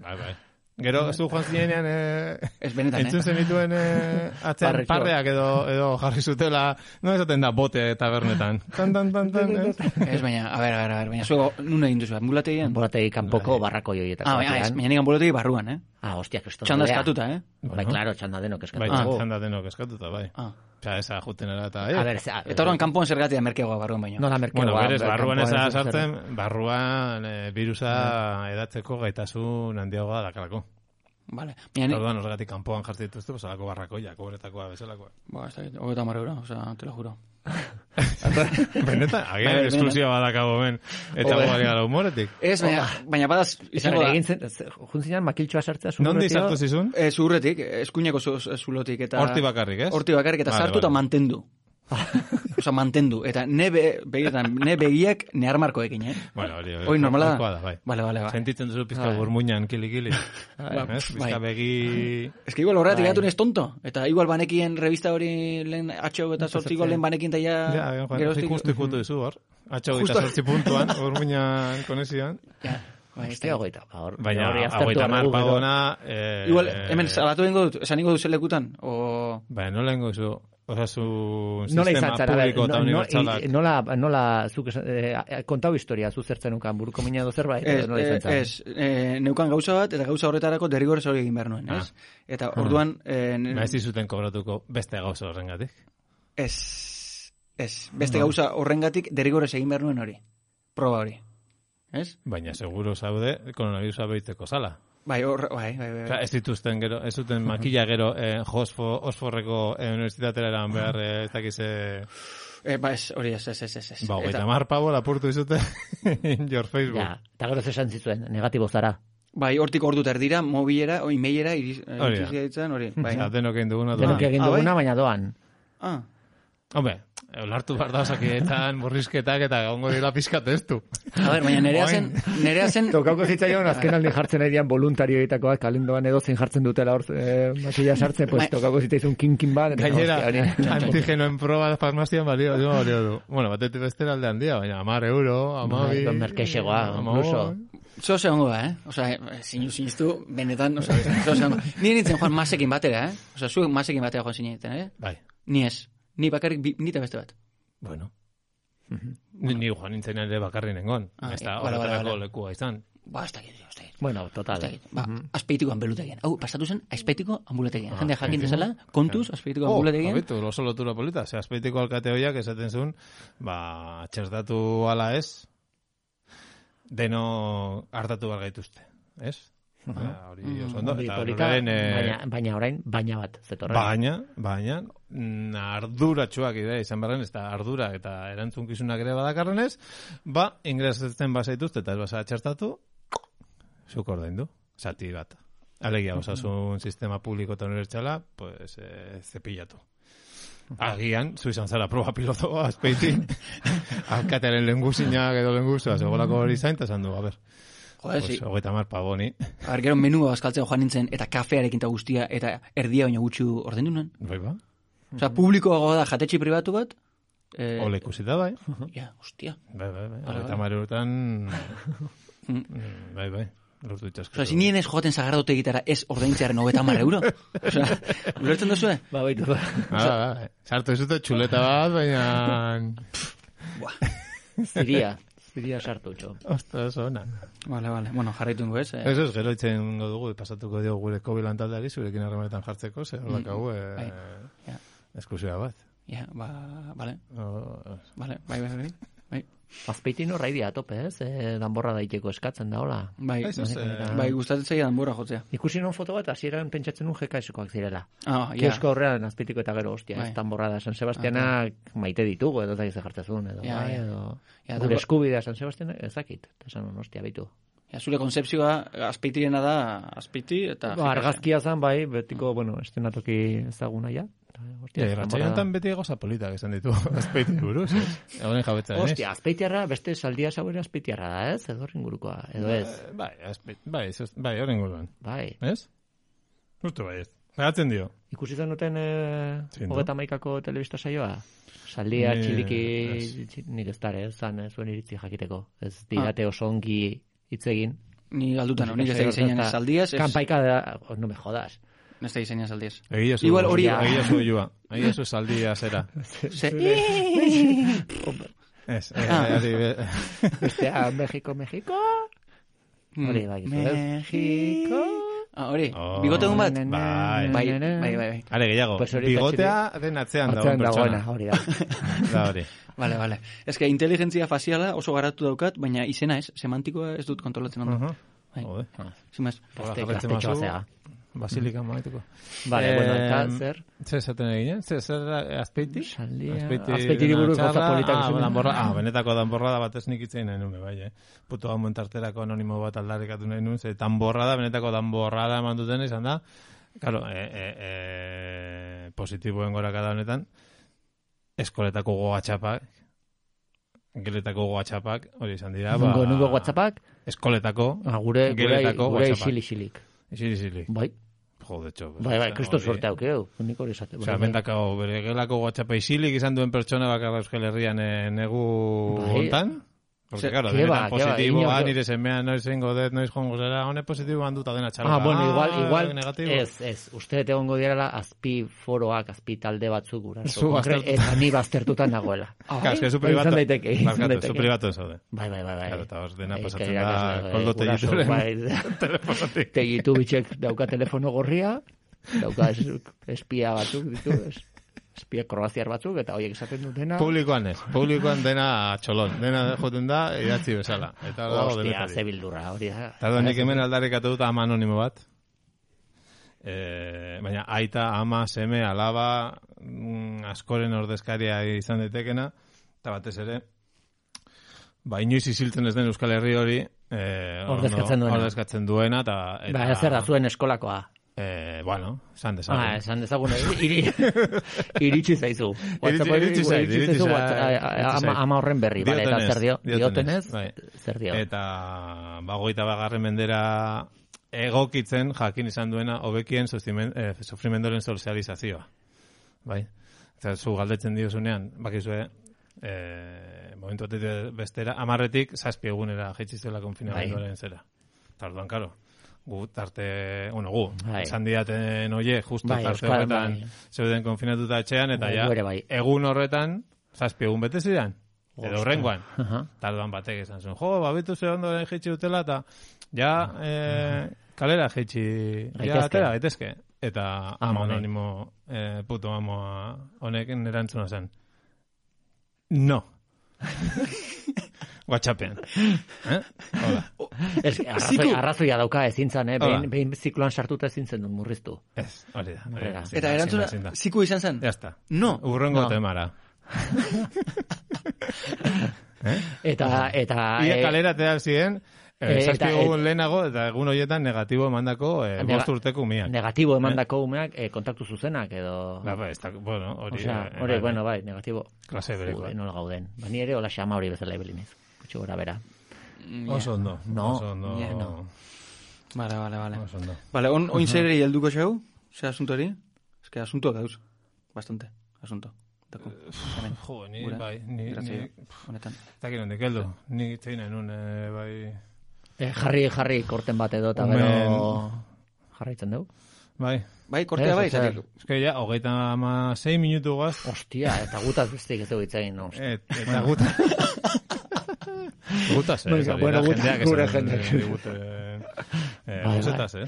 Bai, bai. Gero, zu joan zinean, eh, ez benetan, entzun eh? zenituen eh, atzean Parretxoak. parreak edo, edo jarri zutela, no esaten da bote tabernetan. Tan, tan, tan, tan, eh? Ez, baina, a ber, a ber, a ber, baina zuego, nun egin duzu, ambulategian? Borategi kanpoko barrako joietako. Ah, baina, ez, baina nik ambulategi barruan, eh? Ah, hostia, kriston. Txanda bea. eskatuta, eh? Bai, claro, txanda denok Bai, eskatu. txanda denok eskatuta, bai. Ah. Osea, esa jutenera eta... A ber, ze- Eta horren kanpoan zergatia merkeagoa barruan baino. nola merkeagoa. Bueno, berez, ber, barruan kanpoan eza ez zer- sartzen, barruan eh, virusa edatzeko gaitasun handiagoa dakalako. Vale. Baina, Orduan, horregatik kanpoan jartzen dituzte, pues, alako barrakoiak, obretakoa, bezalakoa. ba, ez dakit, hogeta marra euro, osea, te lo juro. Benetan, Bai, agian bai, esklusioa badakabo ben, eta Hobe. guari gara humoretik. Ez, baina, baina badaz, izango da, Egin zen, juntzinan makiltxoa sartzea Nondi zurretio. sartu zizun? eh, zurretik, eskuineko zu- zulotik, eta... Horti bakarrik, ez? Horti bakarrik, eta Vale, sartu eta vale. mantendu. Osa, mantendu. Eta ne, be, begietan, ne begiak ne armarkoekin, eh? Bueno, hori, hori, Hoi normala nahikoa da? da, bai. Vale, vale, vale. Sentitzen duzu pizka Bai. burmuinan kili-kili. Bai. Ez? Pizka Bai. begi... Ez que igual horregatik Bai. gatu nez tonto. Eta igual banekien revista hori lehen atxo eta sortziko lehen banekin ta ja... Ja, Juan, geroztik- justu ikutu dizu hor. Atxo Justo. gita sortzi puntuan, burmuinan konexioan. Ja, bai, ez Hostia, da. hogeita. ba, hor- Baina, hori aztertu hogeita behar mar dugu, gero. pagona... Eh, Igual, hemen salatu dengo dut, esan ingo du zelekutan, o... Baina, nola ingo zu, osasun Nola izan sistema zara, a ber, publiko eta no- no- unibertsalak. i- nola, nola, zuk esan- eh, kontau historia, zu zertzen nukan, buruko mina edo zerbait, Ez, edo nola izan zara? ez, eh, neukan gauza bat, eta gauza horretarako derrigorez hori egin behar nuen, ez? Eta orduan... Eh, ne- Ba, ez dizuten kobratuko beste gauza horrengatik. ez, ez, beste gauza horrengatik derrigorez egin behar nuen hori. Proba hori. Ez? Baina, seguro zaude, koronavirusa behitzeko zala. Bai, hor, bai, bai, bai. Osea, ez dituzten gero, ez duten makilla gero eh, Josfo, Osforreko eh, unibertsitatera eran behar, eh, ez dakize... Eh, ba, ez, hori ez, ez, ez, ez. ez. Ba, Eta- eta mar pavo lapurtu dizute in your Facebook. Ja, eta gero esan zituen, negatibo zara. Bai, hortik ordu erdira, mobilera, o emailera, iriz, eh, Hori da. iritsi gaitzen, hori. Bai. Osea, denok egin duguna Denok doa. egin ah, bai? duguna, baina doan. Ah, Hombre, olartu behar da osakietan, murrizketak eta gaungo dira pizkat ez du. a ber, baina nerea zen, nerea zen, Tokauko zitzaion, azken aldi jartzen ari dian voluntarioetakoak, kalendoan edo zein jartzen dutela hor, eh, makilla sartzen, pues Bai. tokauko zitzaizun kinkin bat. eta, Gainera, hostia, hori- antigenoen proba farmazian balio, balio, balio du. Bueno, batetik bestera aldean dia, baina amar euro, amabi... Bai, merkexegoa, incluso. zo zegongo da, eh? Osa, zinu ziniztu, benetan, osa, zo zegongo. Ni nintzen joan masekin batera, eh? Osa, zuek masekin batera joan zineten, eh? Bai, Ni ez. Ni bakarrik, bi, ni eta beste bat. bueno. Ni, ni joan nintzen ere bakarri nengon. Ah, Ez da eh, bale, bale, horretarako bale. lekua izan. Ba, ez dakit, ez dakit. Bueno, total. Ez dakit. Ba, azpeitiko ambulategian. Hau, pasatu zen, azpeitiko ambulategian. Jendea jakin azpeitiko? dezala, kontuz, azpeitiko Oh, ambulategian. abitu, oso lotura polita. Ze azpeitiko alkate hoiak esaten zuen, ba, txertatu ala ez, deno hartatu behar gaituzte. Ez? Hori oso ondo. Hori Eta polita, horren, eh, baina, baina orain, baina bat, zetorren. Baina, baina, mm, arduratsuak ide izan barren, ez da ardura eta erantzunkizunak ere badakarrenez, ba, ingresatzen bazaituzte eta ez basa txertatu, zuk ordaindu, zati bat. Alegia, osasun sistema publiko eta unibertsala, pues, eh, zepillatu. Agian, zu izan zara proba piloto azpeitin, alkatearen lenguzinak edo lenguztua, segolako hori zain, eta esan du, a ber, Joder, pues, sí. hogeita mar pavoni. A ver, gero menua bazkaltzen joan nintzen, eta kafearekin eta guztia, eta erdia baina gutxi ordaindu nuen. Bai ba, Osea, publikoagoa da jatetxe pribatu bat. Eh, ole ikusita bai. Ja, hostia. Bai, bai, bai, Vale, hogeita vale. mar eurotan, bai, bai, lortu itxaskatu. Osea, zinien ez joaten sagardote egitara ez ordaintzearen hogeita hamar euro. Osea, ulertzen duzue? Ba, baitu, ba. Ah, bai, sartu ezute txuleta bat, baina... Ziria, ziria sartu txo. Ostras, ona. Vale, vale. Bueno, jarraitu ingo ez. Eh? Eso es, gero itzen dugu, pasatuko dio gure kobilan taldeari, zurekin harremanetan jartzeko, zer horlak hau, Bai. eh, Ja, eskusioa bat. ja, ba, vale, Oh, vale, bai, bai, bai. Bai, Azpeitin horra idia tope, ez? E, danborra daiteko eskatzen da, hola. bai, Ez, ez, eh, bai gustatzen zaia danbora jotzea. Ikusi non foto bat, hasieran pentsatzen nun jekaiskoak zirela. Ah, ja. Kiosko horrean azpeitiko eta gero, hostia, Bai. ez danborra da. San Sebastianak maite ditugu, edo zaiz jartzezun, edo, Ja, bai, ja. edo... Ja, Gure danbo- eskubidea San Sebastianak ezakit. Eta esan, non, hostia, baitu. Ja, zure konzepzioa azpeitirena da azpeiti eta... Ba, argazkia zan, bai, betiko, bueno, estenatoki ezaguna ja. Ja, irratxaionetan beti goza politak esan ditu, azpeiti buruz, ez? Egonen jabetza denez. Hostia, azpeitiarra, beste saldia sauere azpeitiarra da, ez? Edo ringurukoa, edo ez? Bai, azpeit, bai, ez, bai, horren guruan. Bai. Ez? Justu bai ez. Garatzen dio. Ikusi zenuten eh, Zein du? hogeta maikako telebista saioa? Saldia Ni- txiliki, ez. txi- nik ez dara, ez zan, eh, zuen iritzi jakiteko. Ez dirate oso ongi hitz egin. Ni galdutan, nik ez da izainan saldiaz, ez Kanpaika da, oh, no me jodas. ez da izainan saldiaz. Egia zu, Igual hori- egia zu joa. Egia zu saldia zera. Ze... Ez, Ah. eh, hori be- Bestea, Mexiko, Mexiko. Hori, bai, gizu, ez? Mexiko... Ah, hori, Oh. bigote dun bat? Bai. Bai, bai, bai, bai. Are gehiago, Pues hori bigotea den atzean dagoen Atzean dagoena, pertsona. hori da. Da hori. Vale, vale. Ez que inteligentzia faziala oso garatu daukat, baina izena ez, semantikoa ez dut kontrolatzen ondo. Aha. Bai. Jode. Sin más. Hola, Gazte- jarraitzen gaztetxoa bazu, zea. Basilika maituko. Vale, Eh, bueno, eta zer? Zer esaten eginen? Zer, zer da, azpeiti? Saldia- Azpeiti Azpeitiri buruz txarra, gauza politak ah, esan. danborra, ah, benetako danborra da batez nik itzein nahi nuen, bai, eh? Puto gauen tarterako anonimo bat aldarrikatu nahi nuen, ze danborra da, benetako danborra da eman duten izan da, claro, e, e, e, positiboen gorakada honetan, eskoletako gogatxapak, geletako gogatxapak, hori izan dira, ba... Nungo, nungo WhatsAppak, Eskoletako, ah, gure, gure, geletako gure WhatsAppak. isili-isilik. Isili, isili. Bai, Jode, txo. bai, bai, kriston sorte aukeu. Nik hori esate. Osea, bendako, bere gelako WhatsAppa isilik izan duen pertsona bakarra Euskal Herrian eh, negu Bai. hontan. Porque, Ze- claro, ke denetan ba, ke ba, positiboa, inor- nire semean noiz zengo dut, noiz jongo zera, hone positiboan dut adena txarra. Ah, bueno, igual, igual, negatibo. ez, ez, uste dut egongo direla azpi foroak, azpi talde batzuk guraso. Zu konkre- baztertuta. Eta ni baztertutan nagoela. Claro, eske zu Bai, privato. izan daiteke, izan Barkatu, daiteke. zu privato zaude. Bai, bai, bai, bai. Claro, eta hor dena Bai, pasatzen que da, irakasle, koldo guraso, tegituren bai, telefonotik. tegitu bitxek dauka telefono gorria, dauka es- espia batzuk ditu, es- espia kroaziar batzuk, eta horiek esaten dutena. Publikoan ez, publikoan dena txolon, dena joten da, idatzi bezala. Eta hor dago Hostia, denetari. ze bildurra, hori da. Eta da, nik hemen aldarrikatu dut ama anonimo bat. E, baina aita, ama, seme, alaba, mm, askoren ordezkaria izan daitekena, eta batez ere, ba, inoiz isiltzen ez den Euskal Herri hori, e, Ordezkatzen duena. ordezkatzen duena, eta... eta Ba, zer da zuen eskolakoa. E, bueno, esan dezagun. Ah, esan dezagun, iri, iritsi zaizu. Iritsi- iritsi zait, iritsi iritsi zaizu zait, WhatsApp, iritsi ama, zait. ama horren berri, bale, eta Diotenez, zer dio? diotenez, Diotenez, bai. zer dio? Eta bagoita bagarren mendera egokitzen jakin izan duena hobekien sufrimen- eh, sufrimendoren sozializazioa. Bai? Eta zu galdetzen diozunean, bakizue, eh, momentu batetik bestera, amarretik zazpi egunera jaitsi zuela konfinamenduaren zera. Eta orduan, karo, gu tarte, bueno, gu, Bai. esan diaten oie, justo Bai, tarte Euskal- horretan bai. zeuden konfinatuta etxean, eta Bai, ja, gu ere bai. egun horretan, zazpi egun bete zidan. Edo Ostra. horrengoan. Aha. Tarduan batek esan zuen, jo, babitu ze ondo jaitsi dutela, eta ja, eh, kalera jaitsi, ja, Gaitezke. atera, gaitezke. Eta Ama ama honek. anonimo, eh, puto amoa honek erantzuna zen. No. WhatsAppen. Eh? Hola. Ez, arrazoi, arrazoia dauka ezin zan, eh? Behin, behin zikloan sartuta ezin zen duen murriztu. Ez, hori da. Hori da. Eta erantzuna, ziku izan zen? Ya está. No. Urrengo No. temara. eh? Eta, eta... Ia eh, kalera te ziren, eh, eh, eta- egun lehenago, eta egun horietan negatibo emandako eh, Nega- bost urteko umiak. negatibo emandako umeak eh, kontaktu zuzenak edo... Ba, ba, ez da, bueno, hori... Osea, eh, hori, bai, bueno, bai, negatibo. Klase bereko. Jude, nola gauden. Ba, ni ere hola xama hori bezala ibeliniz. Kutxo gora bera. Oso ondo. No. Oso ondo. Yeah, no. Vale, vale, vale. Oso ondo. Vale, on, oin zerri helduko xau? Ze asunto hori? Ez que asunto dauz. Bastante, asunto. Dako. Hemen. Jo, ni, Gure. bai, ni, Grazia. ni, Honetan. eta gero hendik heldu. Ni zein enun, eh, bai... Eh, jarri, jarri, korten bat edo, eta Omen. gero... Jarraitzen dugu. Bai. Bai, kortea Ez, bai, zer. eta Ez que ja, hogeita ama sei minutu gaz, Ostia, eta gutaz bestik ez dugu itzegin, no? et, eta guta... Gutaz, eh? Venga, bueno, guta- jendeak gure esan, jendeak. eh, digute, eh, Bai, guzetaz, eh?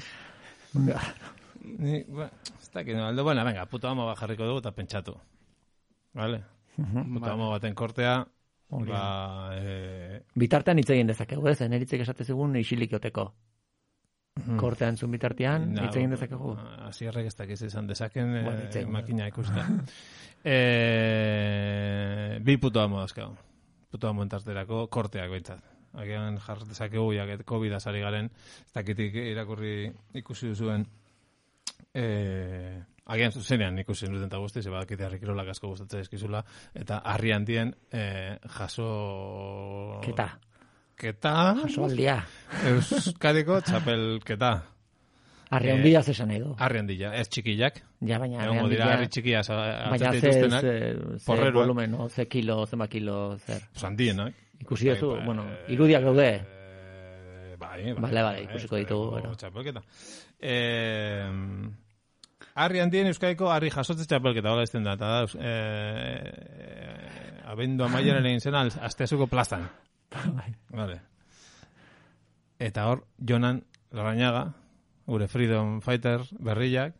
Ni, ba, ez dakit, no, aldo, bueno, venga, puto amo bat jarriko dugu eta pentsatu. Vale? Puto amo baten kortea, Hori ba, eh, Bitartean hitz egin dezakegu, ez? Eneritzek esate zigun isilik joteko. Kortea entzun bitartean, na, hitz egin dezakegu. Asierrek ez dakiz izan dezaken eh, Bueno, hitz egin, makina ikusta. eh, bi puto amo dauzkagu. Puto amo entarterako korteak behintzat. Agian jar dezakegu, jaket COVID-a sari garen, ez dakitik irakurri ikusi duzuen, eh, agian zuzenean ikusi duten eta guzti, zeba dakite harri kirolak asko gustatzen eskizula, eta harri handien eh, jaso... Keta. Keta... Jasoaldia. Euskadiko txapelketa. Arri Eh, handia zesan nahi du. Harri handila, ez txikiak. Ja, baina arri Egongo dira handia... harri txikia Baina hartzen ze, dituztenak. ze, ze porreruak. volumen, no? Ze kilo, zema kilo, zer. Pues handienak. Ikusi duzu, Bai, bueno, eh, irudiak daude. eh, Bai, bai. Bale, bale, bai, ikusiko bai, ditugu, bai, gero. Txapelketa. Eh, harri handien Euskadiko harri jasotze txapelketa, hola ezten da, eta da, eh, abendu amaiaren egin zen, al- Asteasuko plazan. Vale. Eta hor, Jonan Larrañaga, gure Freedom Fighter berriak,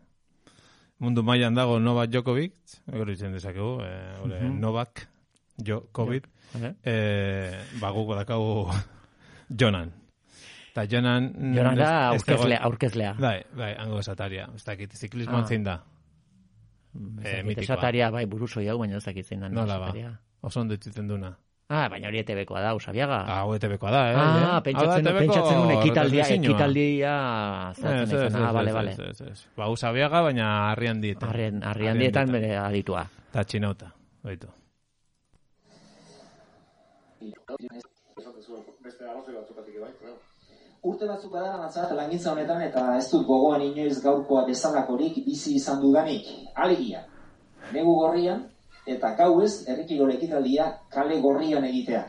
mundu mailan dago Novak Djokovic, gero izen dezakegu, eh, gure Novak Djokovic, Vale. eh, ba, guk badakagu Jonan. Eta Jonan... Jonan da ez- ez dago- aurkezlea, aurkezlea. Bai, bai, hango esataria. Ez dakit, ziklismoan Ah. zein da. Ez eh, dakit, mitikoa. esataria, bai, buruzoi hau, baina ez dakit zein da. Nola ba, esataria. oso ondo itziten duna. Ah, baina hori E T B-koa da, Usabiaga. Ah, hau E T B-koa da, eh? Ah, pentsatzen, Hau da E T B-ko pentsatzen un ekitaldia, retransmisioa. ekitaldia Ez, zaten ez, izan. Ah, ez, bale, ez, bale. ez, ez, ez. Ba, Usabiaga, baina harri handietan. Harrien, harri handietan bere aditua. Eta txinauta, baitu. Urte batzuk badara matzat langintza honetan eta ez dut gogoan inoiz gaurkoa bezalakorik bizi izan dudanik. Alegia, negu gorrian eta gauez herrikirol ekitaldia kale gorrian egitea.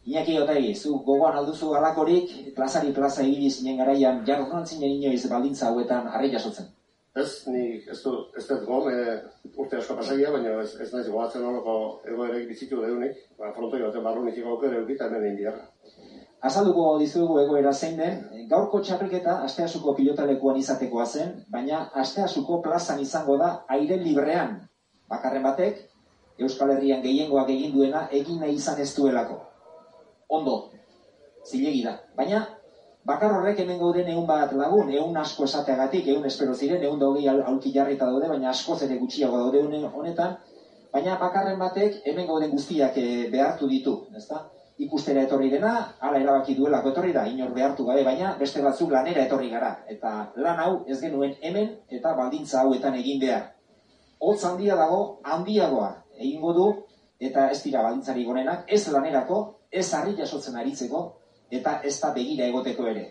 Iñaki Otai, zu gogoan alduzu galakorik, plazari plaza egili zinen garaian jarronan zinen inoiz baldintza hauetan harri jasotzen. Ez, ni ez du, ez dut gom, e, urte asko pasagia, baina ez, ez naiz gogatzen horoko egoerek bizitu deunik, ba, frontoi baten barrunik aukera eukita hemen egin biharra. Azalduko dizuegu egoera zein den, gaurko txapelketa Asteasuko pilotalekuan izatekoa zen, baina Asteasuko plazan izango da aire librean. Bakarren batek, Euskal Herrian gehiengoak egin duena egin nahi izan ez duelako. Ondo, zilegi da. Baina, bakar horrek hemen gauden ehun bat lagun, ehun asko esateagatik, ehun espero ziren, ehun da hogei aulki jarrita daude, baina askoz ere gutxiago daude une honetan, baina bakarren batek hemen gauden guztiak eh, behartu ditu, ezta? Ikustera etorri dena, hala erabaki duelako etorri da, inor behartu gabe, baina beste batzuk lanera etorri gara. Eta lan hau ez genuen hemen eta baldintza hauetan egin behar. Hotz handia dago, handiagoa egingo du, eta ez dira baldintzari gonenak, ez lanerako, ez harri jasotzen aritzeko, eta ez da begira egoteko ere.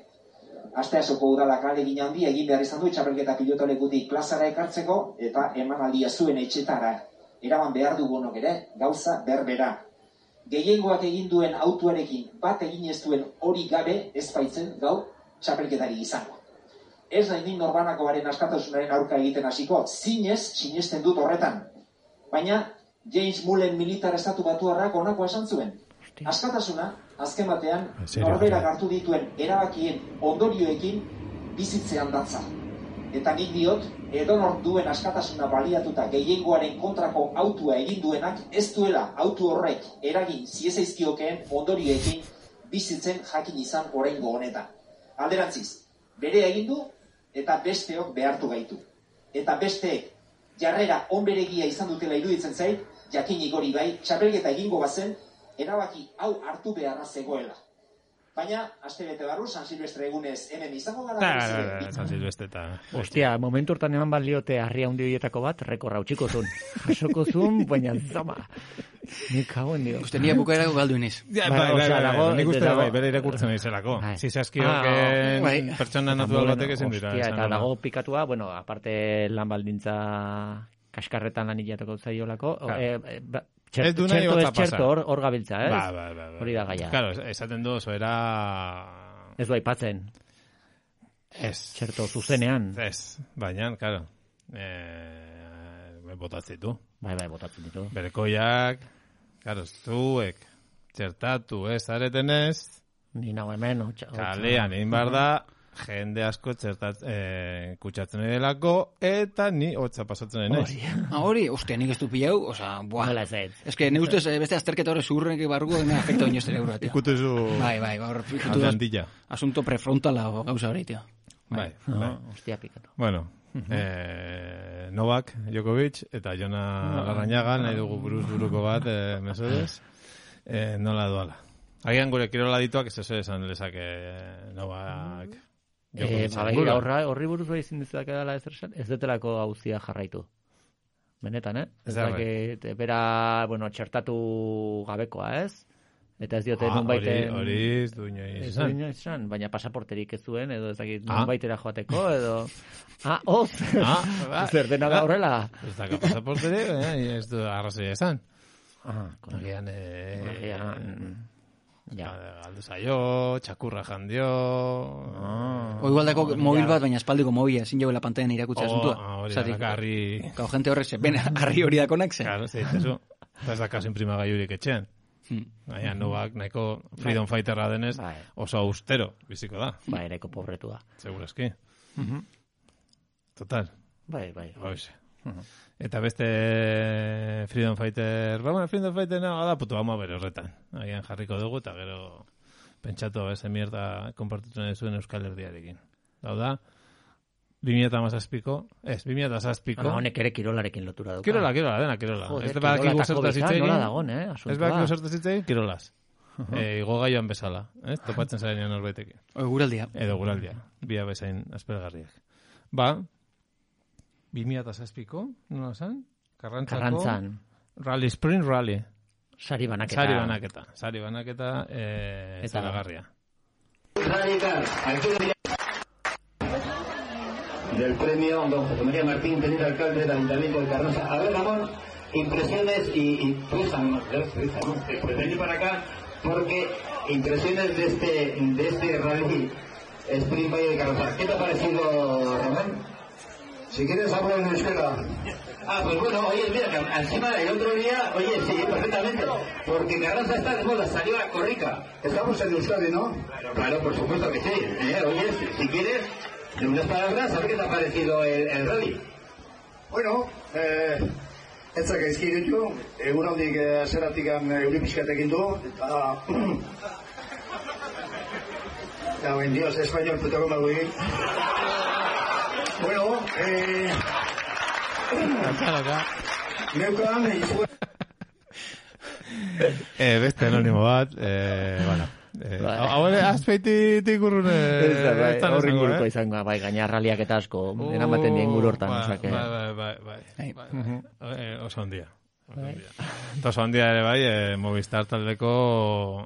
Asteasoko udalak ahalegin handia egin behar izan du txapelketa pilotolekutik plazara ekartzeko, eta emanaldia zuen etxetara eraman behar dugunok ere, gauza berbera. Gehiengoak egin duen autuarekin bat egin ez duen hori gabe ez baitzen gaur txapelketari izango. Ez nahi nin norbanakoaren askatasunaren aurka egiten hasiko, zinez sinesten dut horretan. Baina James Mullen militar estatu batuarrak honako esan zuen. Askatasuna, azken batean, norberak hartu dituen erabakien ondorioekin bizitzean datza. Eta nik diot, edonor duen askatasuna baliatuta gehiengoaren kontrako autua egin duenak, ez duela autu horrek eragin ziezaizkiokeen ondorioekin bizitzen jakin izan oraingo honetan. Alderantziz, bere egin du eta besteok behartu gaitu. Eta besteek jarrera onberegia izan dutela iruditzen zait, jakinik hori bai, txapelketa egingo bazen, erabaki hau hartu beharra zegoela. Baina, aste bete barru, San Silvestre egunez hemen izango gara. Da, San Silvestre eta... Hostia, momentu hortan eman baliote harria hundi horietako bat, rekorra utxiko zun. Jasoko zun, baina zama. Nik hauen dio. Uste nire bukaerako galdu iniz. Ja, bai, bai, bai, nik uste bai, bere irakurtzen izelako. Zizazkioken pertsona natural batek ezin dira. Hostia, eta dago pikatua, bueno, aparte lan baldintza kaskarretan lan hilateko zaiolako, Txerto ez txerto hor gabiltza, ez? Ba, ba, ba. Hori da gaia. Claro, esaten du, oso era... Ez du aipatzen. Ez. Txerto zuzenean. Ez, baina, claro. Eh, botatzen ditu. Bai, bai, botatzen ditu. Berekoiak, claro, zuek, txertatu ez aretenez... Ni nago hemen, kalean egin behar da, jende asko txertat, eh, kutsatzen edelako, eta ni hotza pasatzen denez. Ah, hori, ostia, nik ez du pilau, oza, buah. Nola ez ez. Ez que, ne ustez, beste azterketa horre zurrenek barruko, dena afekta oinez ere euro, tio. Ikutu zu... Bai, bai, hor, ikutu Atlandilla. Asunto prefrontala o gauza hori, tio. Bai, No, bai. hostia, pikatu. Bueno, eh, Novak Djokovic eta Jona Larrañaga nahi dugu buruz buruko bat, eh, mesedez, eh, nola doala. Agian gure kirola dituak ez ez esan lezake Novak... Eh, Baina, horri buruz bai ezin dizuak edala ez esan, ez detelako hauzia jarraitu. Benetan, eh? Ez dakit, bera, bueno, txertatu gabekoa, ez? Eta ez diote ah, nun baiten... Hori ez du inoiz Ez esan. du inoiz esan, baina pasaporterik ez zuen, edo ez dakit Ah. nun baitera joateko, edo... Ah, hoz! Ah, ba. Zer dena da horrela? Ez daka pasaportere, eh, ez du arrazoi esan. Ah, kono. Agian, eh... Agian... Ja. Galdu zaio, txakurra jandio... Ah. O igual dako mobil bat, baina espaldiko mobila, zin jauela pantaien irakutza asuntua. Oh, hori da, harri... Kau gente horrek ze, ben, harri hori dakonak ze. Claro, zeitezu. Ez da kaso imprimagaiurik etxean. Hmm. Baina, Novak nahiko freedom fighterra denez, Bai. oso austero biziko da. Ba, ereko pobretua. Segurazki. Total. Bai, bai. Hoxe. Eta beste freedom fighter, ba, bueno, freedom fighter nago da, putu hama bere horretan. Agian jarriko dugu, eta gero pentsatu eze mierda konpartitzen zuen Euskal Herriarekin. Hau da, bi mila hamazazpiko, ez, bi mila hamazazpiko. Ah, honek ere kirolarekin lotura duka. Kirola, kirola, dena kirola. Joder, Ez badakigu kirola eta zertaz COVID-a hitz egin. nola dagon, eh, asuntua. Ez badakigu zertaz hitz egin, kirolaz. Eh, igo gaioan bezala, eh? Topatzen zarenean norbaitekin. O, guraldia. Edo guraldia, bia bezain aspergarriak. Ba, bi mila hamazazpiko, nola zan? Karrantzako... Karrantzan. Rally, Spring Rally. Sari banaketa. Sari banaketa. Sari banaketa, eh, Eta- zaragarria. Radical, del premio don José María Martín, teniente alcalde del Ayuntamiento de Carranza. A ver, Ramón, impresiones y, y pues, pues venir para acá porque impresiones de este de este rally Sprint Valle de Carranza. ¿Qué te ha parecido, Ramón? Si quieres hablar en euskera. Ah, pues bueno, oye, mira, que encima el otro día, oye, sí, perfectamente, porque Carranza está de moda, salió a Corrica. Estamos en Euskadi, ¿no? Claro, claro, por supuesto que sí. ¿eh? Oye, si, si quieres, de unas palabras, a ver qué te ha parecido el, el rally. Bueno, eh, ez zaka izkiretu, egunaldik eh, zeratik euripisketekin du, eta... Eta, buen dios, español, puto como güey. Bueno, eh... Neukan, izue... Eh, beste anonimo bat, eh, bueno... Eh, Bai. hau ere, azpeititik urrun... Eh, Ez da, bai, ez da horri izango, inguruko eh? izango, bai, gaina raliak eta asko, eramaten dien guru hortan, Bai, osake. Bai, bai, bai, bai, Bai. bai, bai. Eh, oso handia. Oso handia. Eta oso handia ere bai, eh, Movistar taldeko...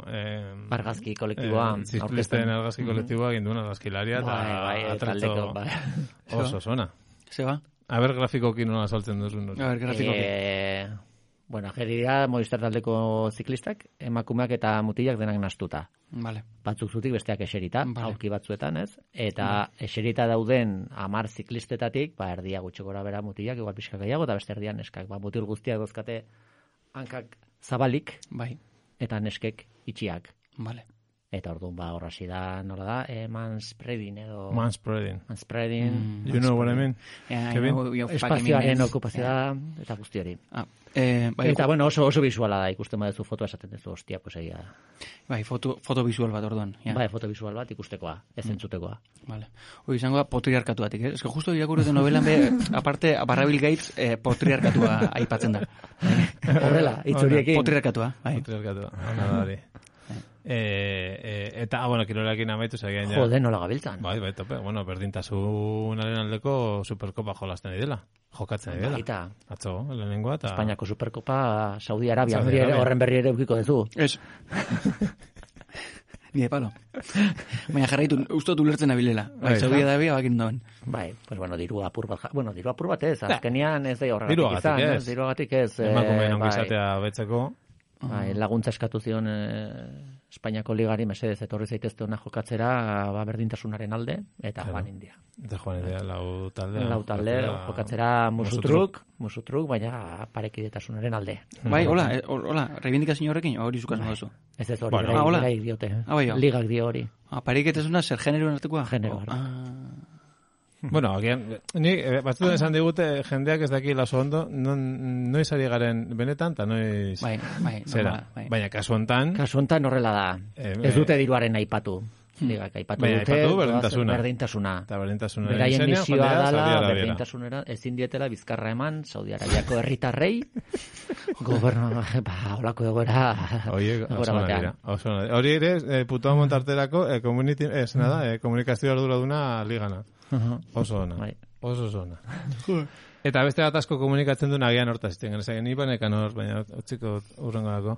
Eh, Argazki kolektiboa, Eh, Zizklisten aurkezten. argazki kolektiboa ginduen argazkilaria, eta Bai, bai, atrezo taldeko, bai. oso zona. Se va. A ber, grafikokin nola saltzen duzun. A ver, grafiko. Eh, bueno, ageri dira Movistar taldeko ziklistak, emakumeak eta mutilak denak nastuta. Vale. Batzuk zutik besteak eserita, Vale. aurki batzuetan, ez? Eta eserita dauden hamar ziklistetatik, ba, erdia gutxi gora bera mutilak, igual pixka gehiago, eta beste erdian neskak. Ba, mutil guztiak dozkate hankak zabalik, Bai. eta neskek itxiak. Vale. Eta orduan ba hor hasi da, nola da, eh, manspreading edo... Manspreading. Manspreading. Mm, you know what I mean? Yeah, Kevin? know, you Espazioaren okupazioa eta guzti hori. Ah, eh, bai, eta bueno, oso oso visuala da, ikusten baduzu fotoa esaten duzu, hostia, pues egia. Bai, foto, foto visual bat orduan. Ja. Bai, foto visual bat ikustekoa, ez entzutekoa. Vale. Hoi izango da potriarkatuatik, eh? Ez que justo irakurri novelan be, aparte, Barrabil Gates, eh, potriarkatua aipatzen da. Horrela, itzuriekin. Potriarkatua, bai. Potriarkatua, hona da hori. Eh, eh, eta, ah, bueno, kirolekin amaitu zagean ja. Jode, nola gabiltzan. Bai, bai, tope. Bueno, berdintasunaren aldeko Superkopa jolasten didela. Jokatzen didela. Baita. Atzo, lehenengoa eta... Espainiako Superkopa, Saudi Arabia, Saudi Arabia. horren berri ere eukiko duzu. Ez. Ni de palo. Baina jarraitu, uste dut ulertzen abilela. Bai, Saudi Arabia bakin dauen. Bai, pues bueno, diru apur bat, bueno, diru apur bat ez, azkenian ez da horregatik izan. ez. Diruagatik ez. Emakumeen ongizatea betzeko. Bai, laguntza eskatu zion eh, Espainiako ligari mesedez etorri zaitezte ona jokatzera ba berdintasunaren alde eta claro. Joan India. Eta Joan India lau talde. Lau talde jokatzera musutruk, musutruk, baina parekidetasunaren alde. Bai, hola, hola, reivindikazio horrekin hori zukas moduzu. Ez ez hori, bueno, ah, hola. gai diote. Ah, bai, ligak dio hori. Ah, parekidetasuna zer genero artekoa? Genero. Ah. Bueno, agian, ni batzuetan esan digute jendeak ez daki oso ondo, noiz ari garen benetan, eta noiz... Bai, bai, zera, bai. Baina kasu hontan... Kasu hontan horrela da. Eh, ez dute diruaren aipatu. Ligak aipatu baina dute... aipatu berdintasuna. Berdintasuna. Eta berdintasuna. Beraien misioa dala, berdintasunera, ezin dietela bizkarra eman, Saudi Arabiako herritarrei, gobernu, ba, holako egoera... Oie, oso nagira. Hori ere, eh, putoa montarterako, eh, community, ez nada, eh, komunikazio arduraduna ligana. Oso ona. Bai. Oso oso ona. Eta beste bat asko komunikatzen duen agian hortaz ziten. Genezagen, ni banekan hor, baina utziko urrengo dako,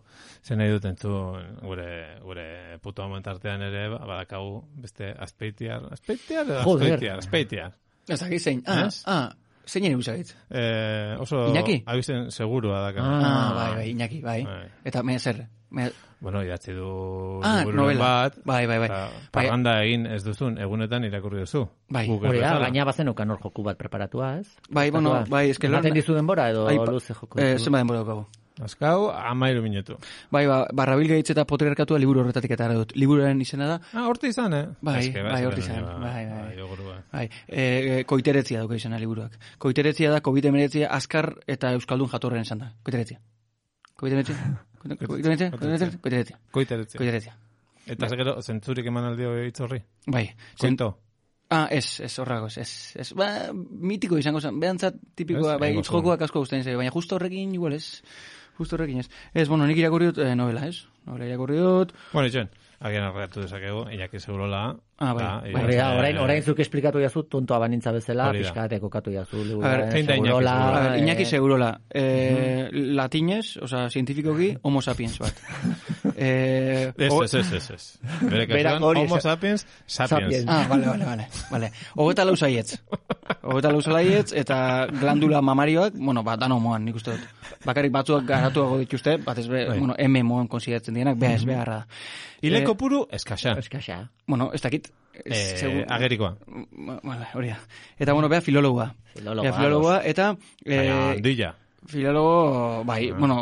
zen nahi duten zu gure, gure puto momentartean ere, badakagu beste azpeitiar, azpeitiar edo azpeitiar, azpeitiar. Ez dakit zein, ah, ah, zein ere usagitz? Eh, oso, Iñaki? abizen segurua daka. Ah, bai, bai, Iñaki, bai. bai. Eta me zer, me... Bueno, idatzi du ah, libururen bat. Bai, bai, bai. Parranda egin ez duzun, egunetan irakurri duzu. Bai, hori da, baina bazen okan hor joku bat preparatua, ez? Bai, bueno, bai, eske lan... Baten dizu denbora edo Aipa, luze joku? Eh, zenba denbora dukagu. Azkau, amairu minutu. Bai, ba, Barrabil Gates eta potriarkatua liburu horretatik eta dut. Liburuaren izena da... Ah, horti izan, eh? Bai, Eske, bai, horti izan. Bai, bai. Bai, bai. E, koiteretzia duka izena liburuak. Koiteretzia da, covid hemeretzia, azkar eta euskaldun jatorren esan da. Koiteretzia. covid hemeretzia. Koiteretzia. Koiteretzia. Koiteretzia. Koiteretzia. Eta gero, zentzurik eman aldio hitzorri? Bai. Koito? Ah, ez, ez horrago, ez, ez, ba, mitiko izango zen, behantzat tipikoa, bai, itzjokoak asko guztien zai, baina justo horrekin, igual ez, justo horrekin ez. Ez, bueno, nik irakurri dut eh, novela, ez? Novela irakurri dut. Bueno, itxen, agian arreatu dezakegu, Iñaki Segurola. Ah, bai. Da, bai, orain, orain zuk esplikatu jazu, tontoa banintza bezala, pixkate kokatu jazu. A ver, zein da Iñaki Segurola? A ver, Iñaki Segurola, eh, uh-huh. latinez, oza, cientifikoki, homo sapiens bat. Eh, ez, ez, ez, ez, ez. Bere kasuan, homo sapiens, sapiens. Ah, vale, vale, vale. vale. Hogeta lau zaietz. Hogeta lau zaietz, eta glandula mamarioak, bueno, bat, dano moan, nik uste dut. Bakarrik batzuak garatuago dituzte, bat ez be, bueno, M moan konsideratzen dienak, beha ez beharra da. Ileko puru, eskaxa. Eskaxa. Bueno, ez dakit. Eh, agerikoa. Vale, hori da. Eta, bueno, beha filologoa. Filologoa. Filologoa, eta... Baina, handilla. Filologo, bai, ah. bueno...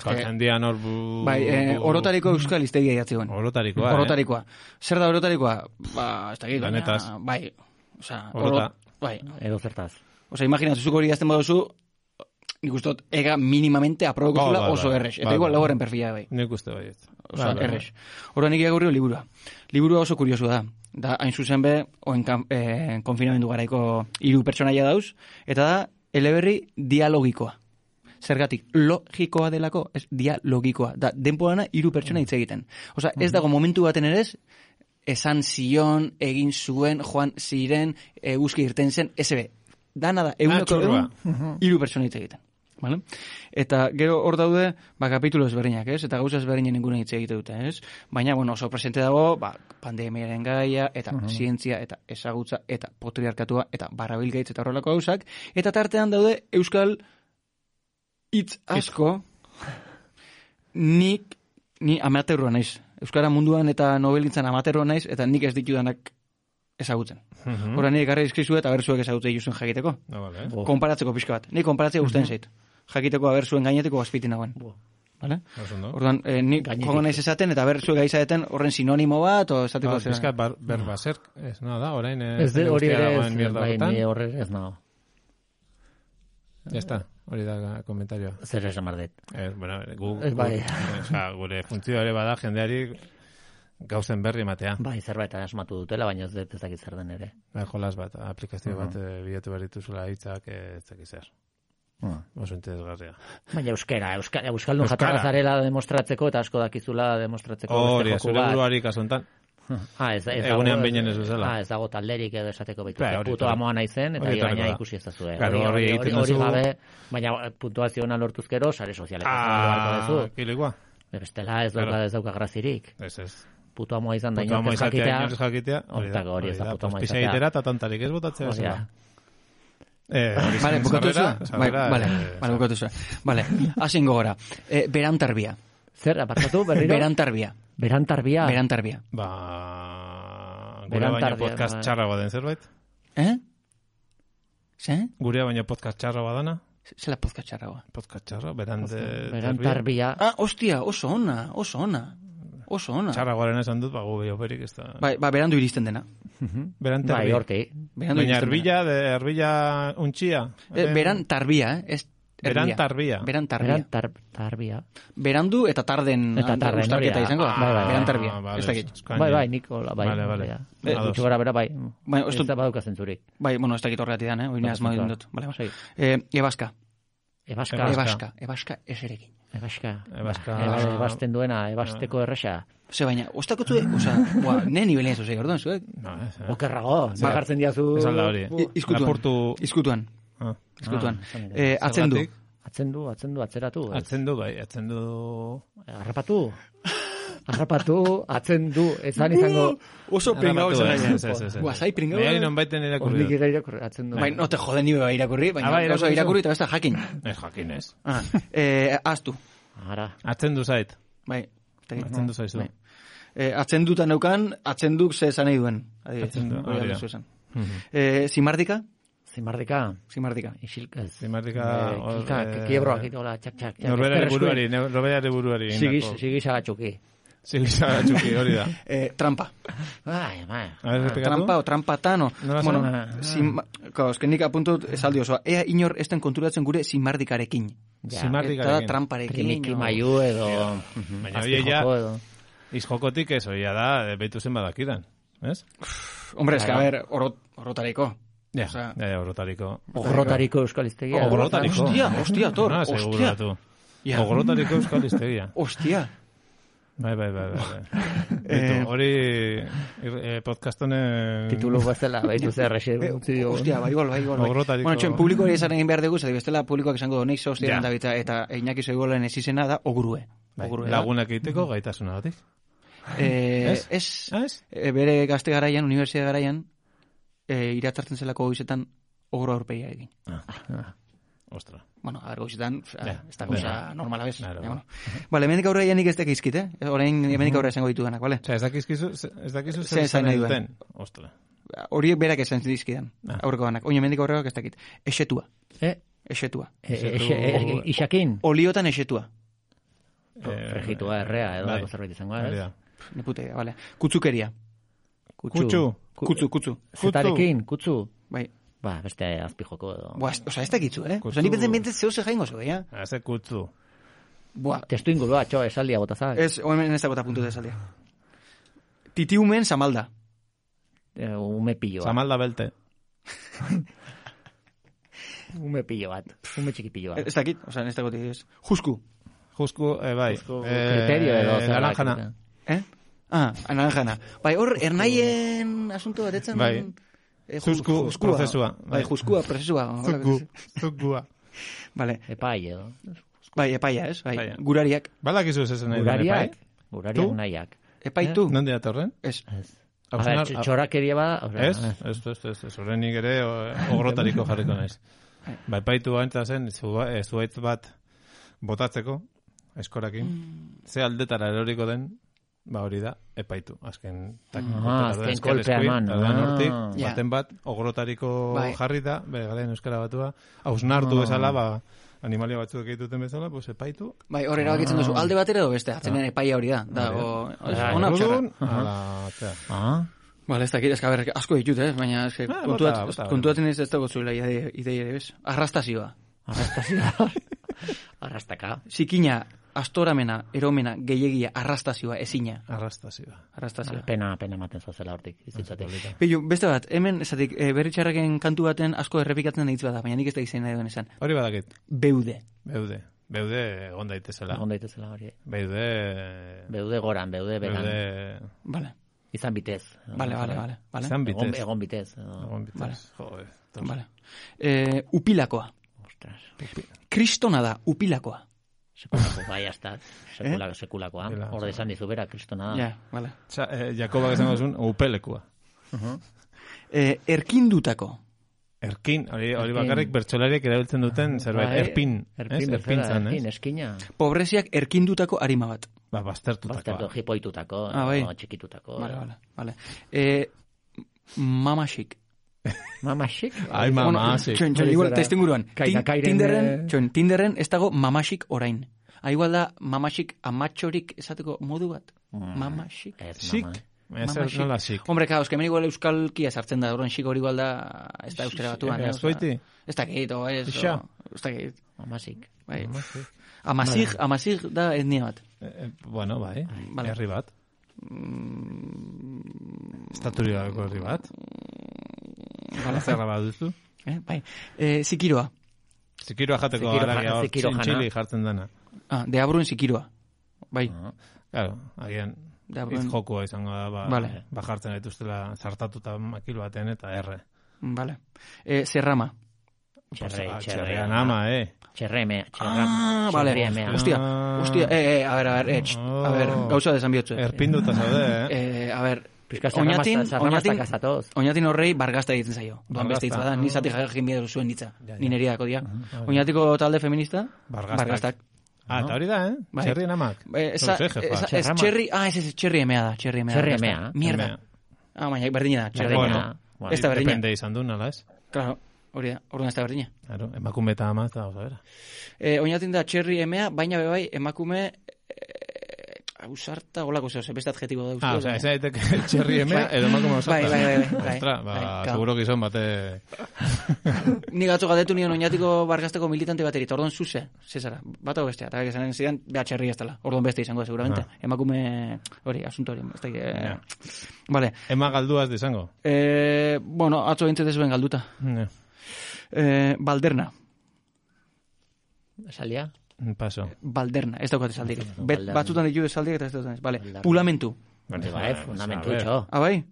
Kaltzendian hor... Bai, eh, orotariko euskal iztegia idatzi guen. Orotarikoa, Orotarikoa. Eh? Zer da orotarikoa? Ba, ez dakit. Lanetaz. Bai, oza... Orota. Bai. Edo zertaz. Oza, imaginatu, zuk hori idazten baduzu, nik ustot, ega minimamente aprobeko zula oso errex. Eta igual lagoren perfila, bai. Nik uste bai. Oza, errex. Hora nik irakurri liburua. Liburua oso kuriosu da. Da, hain zuzen be, oen eh, konfinamendu garaiko hiru pertsonaia dauz, eta da, eleberri dialogikoa. Zergatik, logikoa delako, ez dialogikoa. Da, denporana hiru pertsona hitz egiten. Osa, ez dago momentu baten ere ez, esan zion, egin zuen, joan ziren, eguzki irten zen, ez ebe. Dana da, eguneko egun, hiru pertsona hitz egiten. Vale? Eta gero hor daude, ba, kapitulo ezberdinak, ez? Eta gauza ezberdinen ingune hitz egite dute, ez? Baina, bueno, oso presente dago, ba, pandemiaren gaia, eta uh-huh. zientzia, eta ezagutza, eta potriarkatua, eta Barrabil Gates, eta horrelako gauzak. Eta tartean daude, euskal hitz asko, nik, ni amateurua naiz. Euskara munduan eta nobelintzan amateurua naiz, eta nik ez ditudanak ezagutzen. Uh-huh. Hora nire garra izkizu eta berzuek ezagutzen juzuen jakiteko. No, vale. Konparatzeko pixka bat. Ni konparatzea guztien uh-huh. zait. Jakiteko aberzuen gaineteko azpitin nagoen. Vale? Osondo. Orduan, eh, ni joango naiz esaten, eta ber, zuek gaizaeten horren sinonimo bat, o esateko Ah, zera. pizkat bar, berbaser, ez nada, orain eh, Ez de jende hori guztia ere dagoen ez, mierda bai, horretan. ni horre ez nago. Ya está, hori da komentarioa. Zer esan bardet. Ez, bueno, gu, Ez bai. gu, oza, gure funtzioa ere bada jendeari gauzen berri ematea. Bai, zerbait asmatu dutela, baina ez dut ez dakit zer den ere. Bai, jolas bat, aplikazio bat eh, bilatu behar dituzula hitzak eh, ez dakit zer. Uh. Oso interesgarria. Baina euskera, euska, euskaldun Euskara. jatorra zarela demostratzeko eta asko dakizula demostratzeko Hori, beste joku zure bat. buruari kasu honetan. Ah, ez, ez Egunean dago- behin ez bezala. Ah, ez dago talderik edo esateko baitu. Bai, hori Puto etorri. amoa naizen, eta Hori gaina etorriko da. ikusi ez dazue. Claro, hori egiten hori duzu- gabe, baina puntuazioa lortuzkero, sare sozialeko Ah, duzu. kilikua. Bestela ez dauka, Claro. ez dauka grazirik. Ez, ez. Puto amoa izan da Puto amo inork ez izatea, jakitea. inor ez jakitea. hori da, Hortako hori ez da hori puto amo Pues pixa izatea. egitera eta tontarik ez botatzea Hori da. bezala. Eh, hori Vale, zen bukatu sarrera, zua? Bai, sarrera, vale, eh, vale, bukatu zua. Vale, hasingo gora. Eh, berantarbia. Zer, apartatu berriro? Berantarbia. Berantarbia. Berantarbia. Ba, gure Berantarbia, baino podcast bai. txarra baden zerbait? Eh? Ze? Gure baino podcast txarra badana? Zela podcast txarragoa. Podcast txarra, berante... Berantarbia. Ah, ostia, oso ona, oso ona. Oso ona. Txarra guaren esan dut, ba, gu behioperik ez da... Bai, ba, berandu iristen dena. Berante Bai, erbi. horti. Berandu Baina iristen erbila, de erbila untxia. dena. Eh, berantarbia, eh? Ez erbia. Berantarbia. Berantarbia. Berantarbia. Berandu eta tarden Eta ante- tarden, uztarketa hori da. izango. da. Bai, bai, bai. Berantarbia. Ah, vale, Ez dakit. eskaini. Bai, bai, Nikola, bai. Vale, vale. Ja. Eh, Eh, gutxi gara bera, bai. Bai, ez Ez dut- da badauka zentzurik. Bai, bueno, ez dakit horregatik dan, eh? Oina asma Perfecto. dut. Vale, Sei. eh, ebaska. Ebaska. Ebaska. Ebaska. Ebaska eserekin. Ebaska. Ebaska. Eba- Ebasten duena, ebasteko erresa. Ze baina, ostakotzu, oza, boa, ne nivelen ez ozei, orduan, zuek? No, ez, eh. Okerrago, bakartzen diazu... Ez alda hori. I- Izkutuan. Lapurtu... Izkutuan. Ah. Izkutuan. Ah, esan nire. Eh, atzendu. Zergatik? Atzendu, atzendu, atzeratu. ez? Atzendu, bai, atzendu... Harrapatu. Harrapatu, atzendu, ezan izango... Oso pringau Harrapatu, izan ez, gaina. ez, ez, ez, ez. Guazai pringau. Baina non baiten irakurri Hornik dut. ere irakurri, atzendu. Bai, no te jode ni beba irakurri, baina Ah, bai, gauza irakurri irakurri zu? eta besta jakin. Ez jakin ez. Ah, eh, aztu. Ara. Atzendu zait. Bai. ez dakit. Atzendu zaizu. Bai. Eh, atzenduta neukan, atzenduk ze esan nahi duen. Adibidez. Atzendu, Hori hori da. alduzu esan. Mhm. Eh, zimardika? Zimardika. Zimardika. Isil, ez. Zimardika, Eh, hor, Kika, eh, kiebroak, itola, txak, txak. txak, Norberari ezker buruari, eskuin. ne- norberari buruari. Sigiz, indako- sigiz agatxuki. Sigisa txuki, hori da. Eh, trampa. Bai, bai. A ver, repikatu. Trampa o trampatan o... Nola bueno, zen? zima, ko, eske nik apuntut esaldi osoa. Ea inor esten konturatzen gure zimardikarekin. Ja. Zimardikarekin. Eta da tramparekin. Triniki o- maiu edo... Baina hori ja, azpijoko edo. izjokotik ez, hori da, eh, behitu zen badakidan. Ez? Hombre, eske, a ver, orot, orotareko. Ja, Osea- ja, ja, orotariko. Ogrotariko euskaliztegia. Ogrotariko. Hostia, hostia, Tor, Ah, hostia. seguratu. Ja. Ogrotariko euskal iztegia. Hostia. Bai, bai, bai, bai. bai. Eh, Beitu, hori eh, podcastonen... Titulu bestela, behitu zer rexi. Eh, Hostia, bai gol, bai gol. Bai. Ogrotariko- Bueno, txen, publikoari esan egin behar dugu, zati bestela publikoak esango donei hostia Ja. da bita, eta Iñaki Soigolen ez izena da ogurue. Bai, Ogurue da. lagunak egiteko gaitasuna batik. Eh, Ez? ez, Ah, ez? eh, bere gazte garaian, unibertsitate garaian, eh, iratzartzen zelako goizetan ogro aurpegia egin. Ostra. Bueno, a ver, goizetan, Ja, ez da ja. goza normala bez. Claro. Ja, bueno. Vale, hemendik aurrera ja nik ez dakizkit, eh? Orain hemendik aurrera esango ditudanak, vale? Osea, ez dakizkizu, ez dakizu Ze esan nahi duen. Ostra. Horiek berak esan dizkidan, Ah. aurreko banak. Oin hemendik aurrera ez dakit. Esetua, Eh, esetua. eh, eh, eh, Ixakin. Oliotan esetua. Eh, Regitua errea, edo bai. dako zerbait izango, Hori ez? da. Ne putea, vale. Kutzukeria. Kutsu. Kutzu, kutzu. Zetarekin, kutzu. Bai. Ba, beste azpijoko edo. Buah, ez- osea, ez dakitzu, eh? Kutzu. Osea, ni benten benten zeu ze jaingo zu, ja? Haze kutzu. Buah, Testu ingurua, txo, esaldia botazak. ez, hemen ez dago eta puntu de saldia. Titiumen samalda. Eh, ume pillo bat. Zamalda belte. Ume pillo bat. Ume txiki pillo bat. Ez dakit, osea, ez dago ez. Jusku. Jusku, eh, bai. Jusku Eh, kriterio edo zer naranjana. dakit. Eh? Ah, anaranjana. Bai, hor, ernaien asunto bat etzen... Bai. Eh, Jusku juskua. prozesua. Bai, juskua, prozesua. hola, Zuku. Zukua. Vale, Epai edo. bai, epaia, ez? Bai, Epaia. gurariak. Balakizu ez esan nahi duen Gurariak. epai? Gurariak Tu? nahiak. Epaitu. Nondi datorren? Ez. Ez. Hau A ber, zenar- txorakeria bada, osea, Ez? Ez, ez, ez, ez. Horrenik ere o- ogrotariko jarriko naiz. Bai, paitu gaintza zen, zu- eh, zuhaitz bat botatzeko, eskorakin. Ze aldetara eroriko den, ba hori da, epaitu. Azken, tak, Ah, azken kolpea eman. hortik, Ah. baten bat, ogrotariko Bai. jarri da, bere garen euskara batua, hausnartu bezala, ba, animalia batzuk egituten bezala, pues epaitu. Bai, hor erabakitzen duzu, alde batera edo beste, atzenean epaia hori da. Da, o, ona txarra. Orduan, ala, tea. Ah, Bale, ez dakit, ez que, a ber, asko ditut, eh? Baina, ez que, Ah, kontuat, bota, bota. kontuatzen ez ez dago zuela idei idei ere, bez? Arrastazioa. arrastazioa. Arrastaka. Zikina, astoramena, eromena, gehiagia, arrastazioa, ezina. Arrastazioa. Arrastazioa. Pena, pena ematen zozela hortik. Izitzatik. Peio, beste bat, hemen, esatik, e, berritxarraken kantu baten asko errepikatzen ditz bada, baina nik ez da izan nahi duen esan. Hori badakit, Beude. beude. Beude egon daitezela. Egon daitezela hori. Beude... Beude goran, beude beran. Beude... Vale, Izan bitez. vale, vale, vale. vale. Izan Egon, bitez. egon bitez. edo- Egon bitez. Vale. Joder. Vale. E, upilakoa. Ostras. Kristona da, upilakoa. Sekulako, bai, hasta. Sekulako, sekulakoa. Dela, Hor esan dizu bera, kristona da. Ja, vale. Txa, eh, Jakobak esango zuen, upelekua. E, erkindutako. Erkin, hori, hori Erkin. bakarrik bertsolariek erabiltzen duten zerbait, Bai, erpin. Erpin, ez? bezala, Erpin zan, erpin, ez? eskina. Pobreziak erkindutako arima bat. Ba, baztertutakoa. Baztertu, jipoitutako, Ah, bai. o txikitutako. Vale, vale, vale. E, mamasik. Mamasik? Ai, mamasik. Txon, txon, Hori igual, zara. ta izten guruan. Kaina, Tin- kairen, Tinderren, eh. txon, Tinderren ez dago mamasik orain. Ah, igual da mamasik amatxorik esateko modu bat. Mamasik. Ez, Sik? mama. Ez zer Mamasik. nola sik. Hombre, claro, euskemen igual euskalkia sartzen da, horren xik hori igual da, ez da euskera batuan. eh, Ez osea, baiti? Ez dakit, o ez, Pixa. o, ez dakit. Mamasik. Bai. Amasik, amasik da etnia bat. Eh, eh, bueno, bai, Vale. herri bat. Estaturi gabeko herri bat. Bala zerra bat duzu. Eh, bai. E, zikiroa. Zikiroa jateko Zikiro haragia jana, hor, zikiro jana. txintxili jartzen dana. Ah, deabruen zikiroa. Bai, Claro, agian deabruen. hitz jokua izango da, ba, Vale. ba jartzen dituztela zartatuta makilo baten eta erre. Vale. E, zerrama. Txerre, Ah, txerre. txerrean ama, eh. Txerremea, txerram. Ah, vale. txerriemea. Hostia, Ah. hostia, eh, eh, a ver, a ver, eh, txt, a ver, Oh. gauza desan bihotzu. Erpinduta zaude, eh. Eh, a ver, Pizka oinatin, zarramazta oinatin, kazatoz. oinatin horrei bargazta egiten zaio. Duan beste hitz Bargazta. bada, ni zati jakin bidea zuen hitza. Ja, ja. Ni neriako dia. Oinatiko talde feminista, Bargaztak. bargaztak. Ah, eta hori da, eh? Bai. Txerrien amak. Eh, esa, Hori ze, jefa. esa, es Txerrama. txerri, ah, ez, ez, txerri emea da, txerri emea. da, Txerri bargazta. emea. Mierda. Emea. Ah, baina, berdina da, txerri Berdina. emea. Bueno, Ez da berdina. Depende izan du, nala ez? Claro, hori da, orduan ez da berdina. Claro, emakume eta ama, ez da, oza, bera. Eh, oinatin da txerri emea, baina bebai emakume eh, ausarta, holako zeo, beste adjetibo da uste. Ah, oza, ez daiteke txerri emea, edo emakume osata. Bai, bai, bai, bai, bai. Ostra, ba, Bai, claro. seguro gizon bate... Ni gatzo gadetu nion oinatiko bargazteko militante bateri, eta orduan zuze, zezara, bat hau bestea, eta esanen zidan, beha txerri ez dela, orduan beste izango da, seguramente. Ah. Emakume, hori, asunto hori, ez da, eh, Ja. Vale, Ema galduaz dizango. eh, bueno, atzo bintzete zuen galduta. Ja. Eh, balderna, Esalia? Paso. balderna, ez daukat esaldirik. Bet, Balderna. batzutan ditu esaldirik eta ez daukat ez, vale, Balderna. pulamentu. Bai, Bai, fundamentu a ver. itxo. Ah, bai?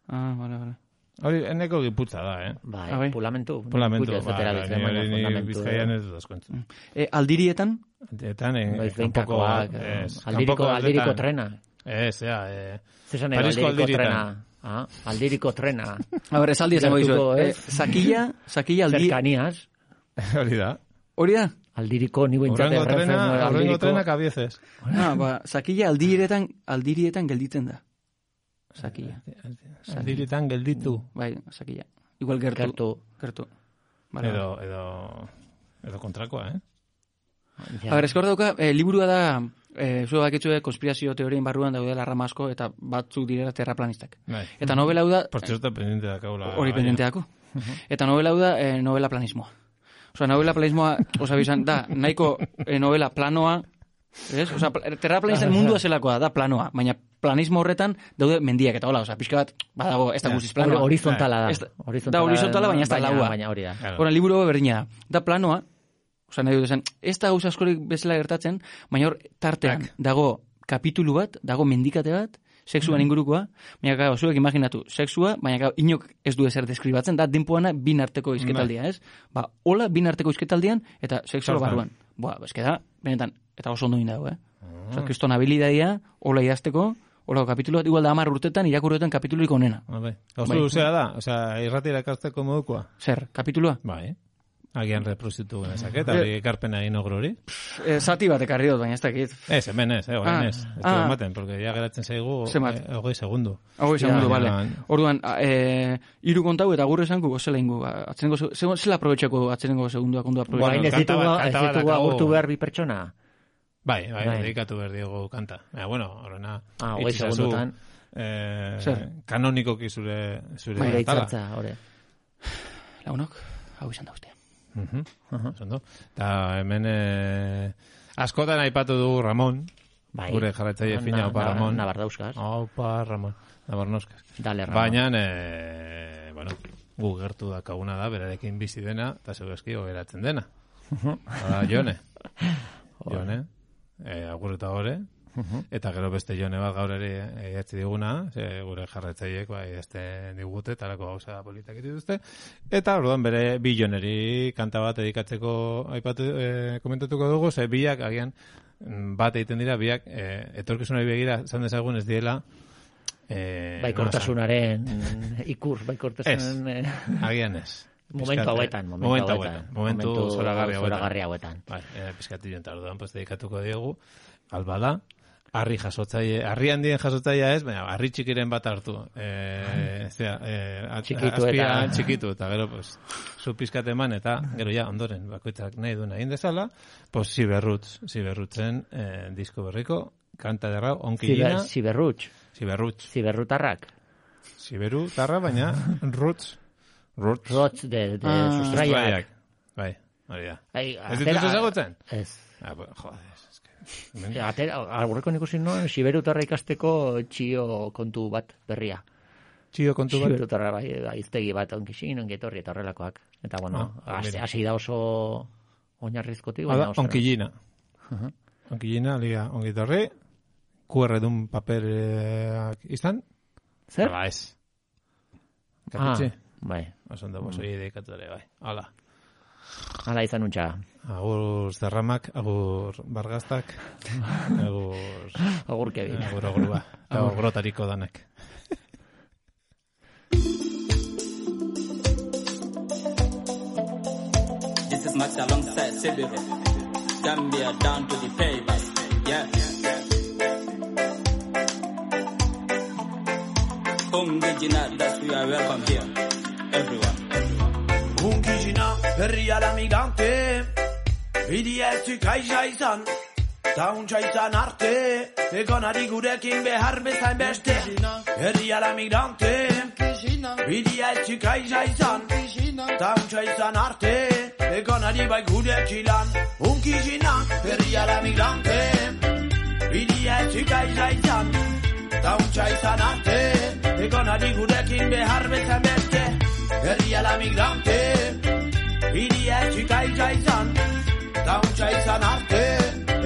Ah, vale, vale. Hori, eneko giputza da, eh? Bai, Ah, bai. pulamentu. Pulamentu, Kuria ez dut ba, erabiltzen, ni baina hori ni fundamentu. bizkaian ez dut askontzu. Eh, aldirietan, Etan, en, Noiz kanpoko... behinkakoak, ez, aldiriko, kanpoko aldiriko atletan- trena. Ez, ja, eh... Zesan Parisko aldiriko aldiritan. trena. Ah, aldiriko trena. a ber, esaldi esango Gertuko, dizuet. Eh, ez? sakilla, sakilla aldi... Cercanías. Hori da. Hori da? Aldiriko, ni buentzate Horrengo trena, horrengo aldiriko. trena kabiezez. Ah, ba, sakilla aldirietan, aldirietan gelditzen da. Sakilla. Aldiritan gelditu. Bai, sakilla. Igual gertu. Gertu. Gertu. Vale, vale. Edo, edo... Edo kontrakoa, eh? Ja. A ber, eskor dauka, eh, liburua da, eh, zue baketxue konspirazio teorien barruan daudela rama asko, eta batzuk direla terraplanistak. Bai. Eta novela hau da, Por cierto, pendiente da kaula. hori pendenteako. Eta novela hau da, eh, novela planismoa. Osa, novela planismoa, osa bizan, da, nahiko eh, novela planoa, ez? Osa, pla- terraplanisten mundua zelakoa, da planoa, baina planismo horretan daude mendiak eta hola, osa, pixka bat, badago, ez da Ja. guztiz Hori- planoa. Horizontala da. Ez da- Horizontala da horizontala, baina ez da laua. Baina hori da. Claro. Hora, liburu hau berdina da. Da planoa, osa nahi dut esan, ez da gauza askorik bezala gertatzen, baina hor tartean dago kapitulu bat, dago mendikate bat, sexuan ingurukoa, baina gau, zuek imaginatu, sexua, baina gau, inok ez du ezer deskribatzen, da denpoana bin arteko izketaldia, ez? Ba, hola bin arteko izketaldian, eta sexua Zertan? barruan. Ba, eske da, benetan, eta oso ondo dago, eh? Osa, kriston habilidadia, hola idazteko, hola kapitulu bat, igual da hamar urtetan, irakurreten kapitulurik onena. Ah, bai. Oso Bai. luzea da, osea, irrati irakasteko modukoa. Zer, kapitulua? Bai. Agian reprozitu genezak, eta hori ekarpena egin ogro hori. E, zati bat ekarri dut, baina ez dakit. Ez, hemen ez, egon ah, ez. Ez ah, ematen, porque ya geratzen zaigu hogei segundu. Hogei segundu, bale. Orduan, e, iru kontau eta gure esanku gozela ingo. Atzenengo, zela aprobetxeko atzenengo segunduak ondo aprobetxeko. Baina ez ditugu agurtu behar bi pertsona? Bai, bai, dedikatu behar diego kanta. Baina, bueno, horrena, ah, hogei segundutan. Eh, kanonikoki zure zure bai, itzatza, hori. Lagunok, hau izan da ustea. Uh-huh. Uh-huh. Eta hemen eh, askotan aipatu du Ramon, bai. Gure jarraitzaile fina, opa Ramon. Nabardauskas. Opa Ramon, Nabarnoskas. Dale, Ramon. Baina, eh, bueno, gu gertu dakaguna da, berarekin bizi dena, eta zeugaski geratzen dena. Hala, Jone. Jone, eh, agur eta gore. Uh-huh. Eta gero beste Jone bat gaur ere idatzi diguna, ze gure jarraitzaileek bai idazten digute, talako gauza politak dituzte. Eta orduan bere bi Joneri kanta bat dedikatzeko aipatu eh, komentatuko dugu, ze biak agian bat egiten dira, biak eh, etorkizunari begira zan dezagun ez diela eh, baikortasunaren ikur, baikortasunaren ez, agian ez. Momentu hauetan, momentu hauetan. Momentu zoragarri hauetan. Bai, eh, pizkati jonta orduan, pues dedikatuko diegu, albada, harri jasotzaile, harri handien jasotzailea ez, baina harri txikiren bat hartu. Eh, zera, eh, txikitu eta txikitu eta gero pues zu pizkat eman eta gero ja ondoren bakoitzak nahi duen egin dezala, pues Ziberrutz, Ziberrutzen eh, disko berriko kanta derra onkilina. Ziberrutz. Ziberrutz. Ziberrutarrak. Ziberrutarra baina roots. Roots. Roots de de ah, sustraiak. Bai, hori da. Ez dituzu ezagutzen? Ez. Ah, pues, joder. Aurreko ikusi noen Ziberutarra ikasteko txio kontu bat berria. Txio kontu bat? Ziberutarra bai, iztegi bat onkixin, ongetorri eta horrelakoak. Eta bueno, ah, hasi da oso oinarrizkotik. Onkillina. Uh-huh. Onkillina, liga ongetorri, Q R dun paperak izan. Zer? Hala ez. Kapitxe? Ah, bai. Oson da, boso dedikatu ere, bai. Hala. Hala izan untxa. Agur zerramak, agur bargaztak, agur... Agur kebin. Agur agurua. Agur grotariko danak. This is Max alongside Sibiru. Gambia down to the pavers. Yeah. Ungijina, that's we are welcome here. Everyone. Ungijina, herriala migrante, bidietzu kaisa izan, tauntza izan arte, egonari gurekin behar bezain beste. Herriala migrante, bidietzu kaisa izan, tauntza izan arte, egonari bai gurekilan. Ungijina, herriala migrante, bidietzu kaisa izan, tauntza izan arte, egonari gurekin behar bezain beste. Herriala migrante, bidia etxika izan, tauntza izan arte,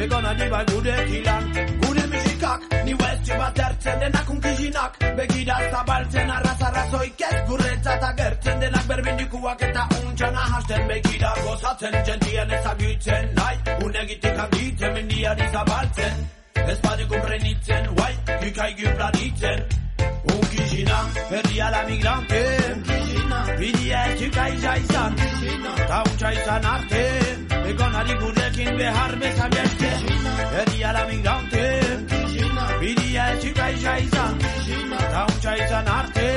egon adi bai gurekilan. Gure musikak, ni westxe bat ertzen denak unkizinak, begira zabaltzen arraz-arrazoik ez gurretzat agertzen denak berbindikuak eta untxana hasten begira gozatzen, jentien ezagutzen, nahi, unegitik handitzen, mendiari zabaltzen, ez badik umrenitzen, guai, gikaigi planitzen. Unkizina, herriala migrante, bidia etxika izan, tauntza izan arte, egonari gurekin behar bezan beste. Herriala migrante, bidia etxika izan, tauntza izan arte,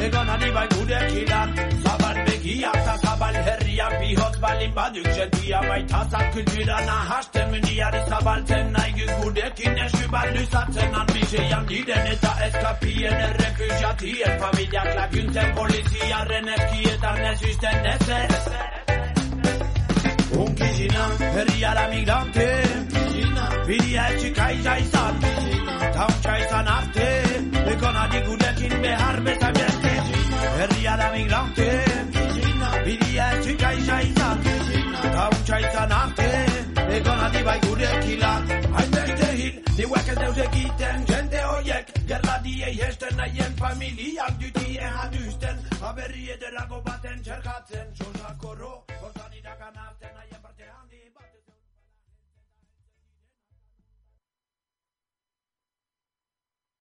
egonari bai gurekilan. Zabal begia eta zabal herriak bihotz balin baduk zentia baitazak kultura nahasten mendiari zabaltzen nahi gurekin esu bat luzatzen anbizeian diren eta eskapien errefusiatien familiak laguntzen poliziaren eskietan nesisten ezer. Unkizina, herriala migrante, bidia etxika izan, tauntza izan arte, egonari gurekin behar bezan beste. Herriala migrante, bidia etxika izan, tauntza izan arte, egonari bai gurekilan. Hainbeste hil, niuek ez deus egiten, jende horiek, gerladiei hesten nahien familiak dutien haduzten, aberri ederago baten txerkatzen.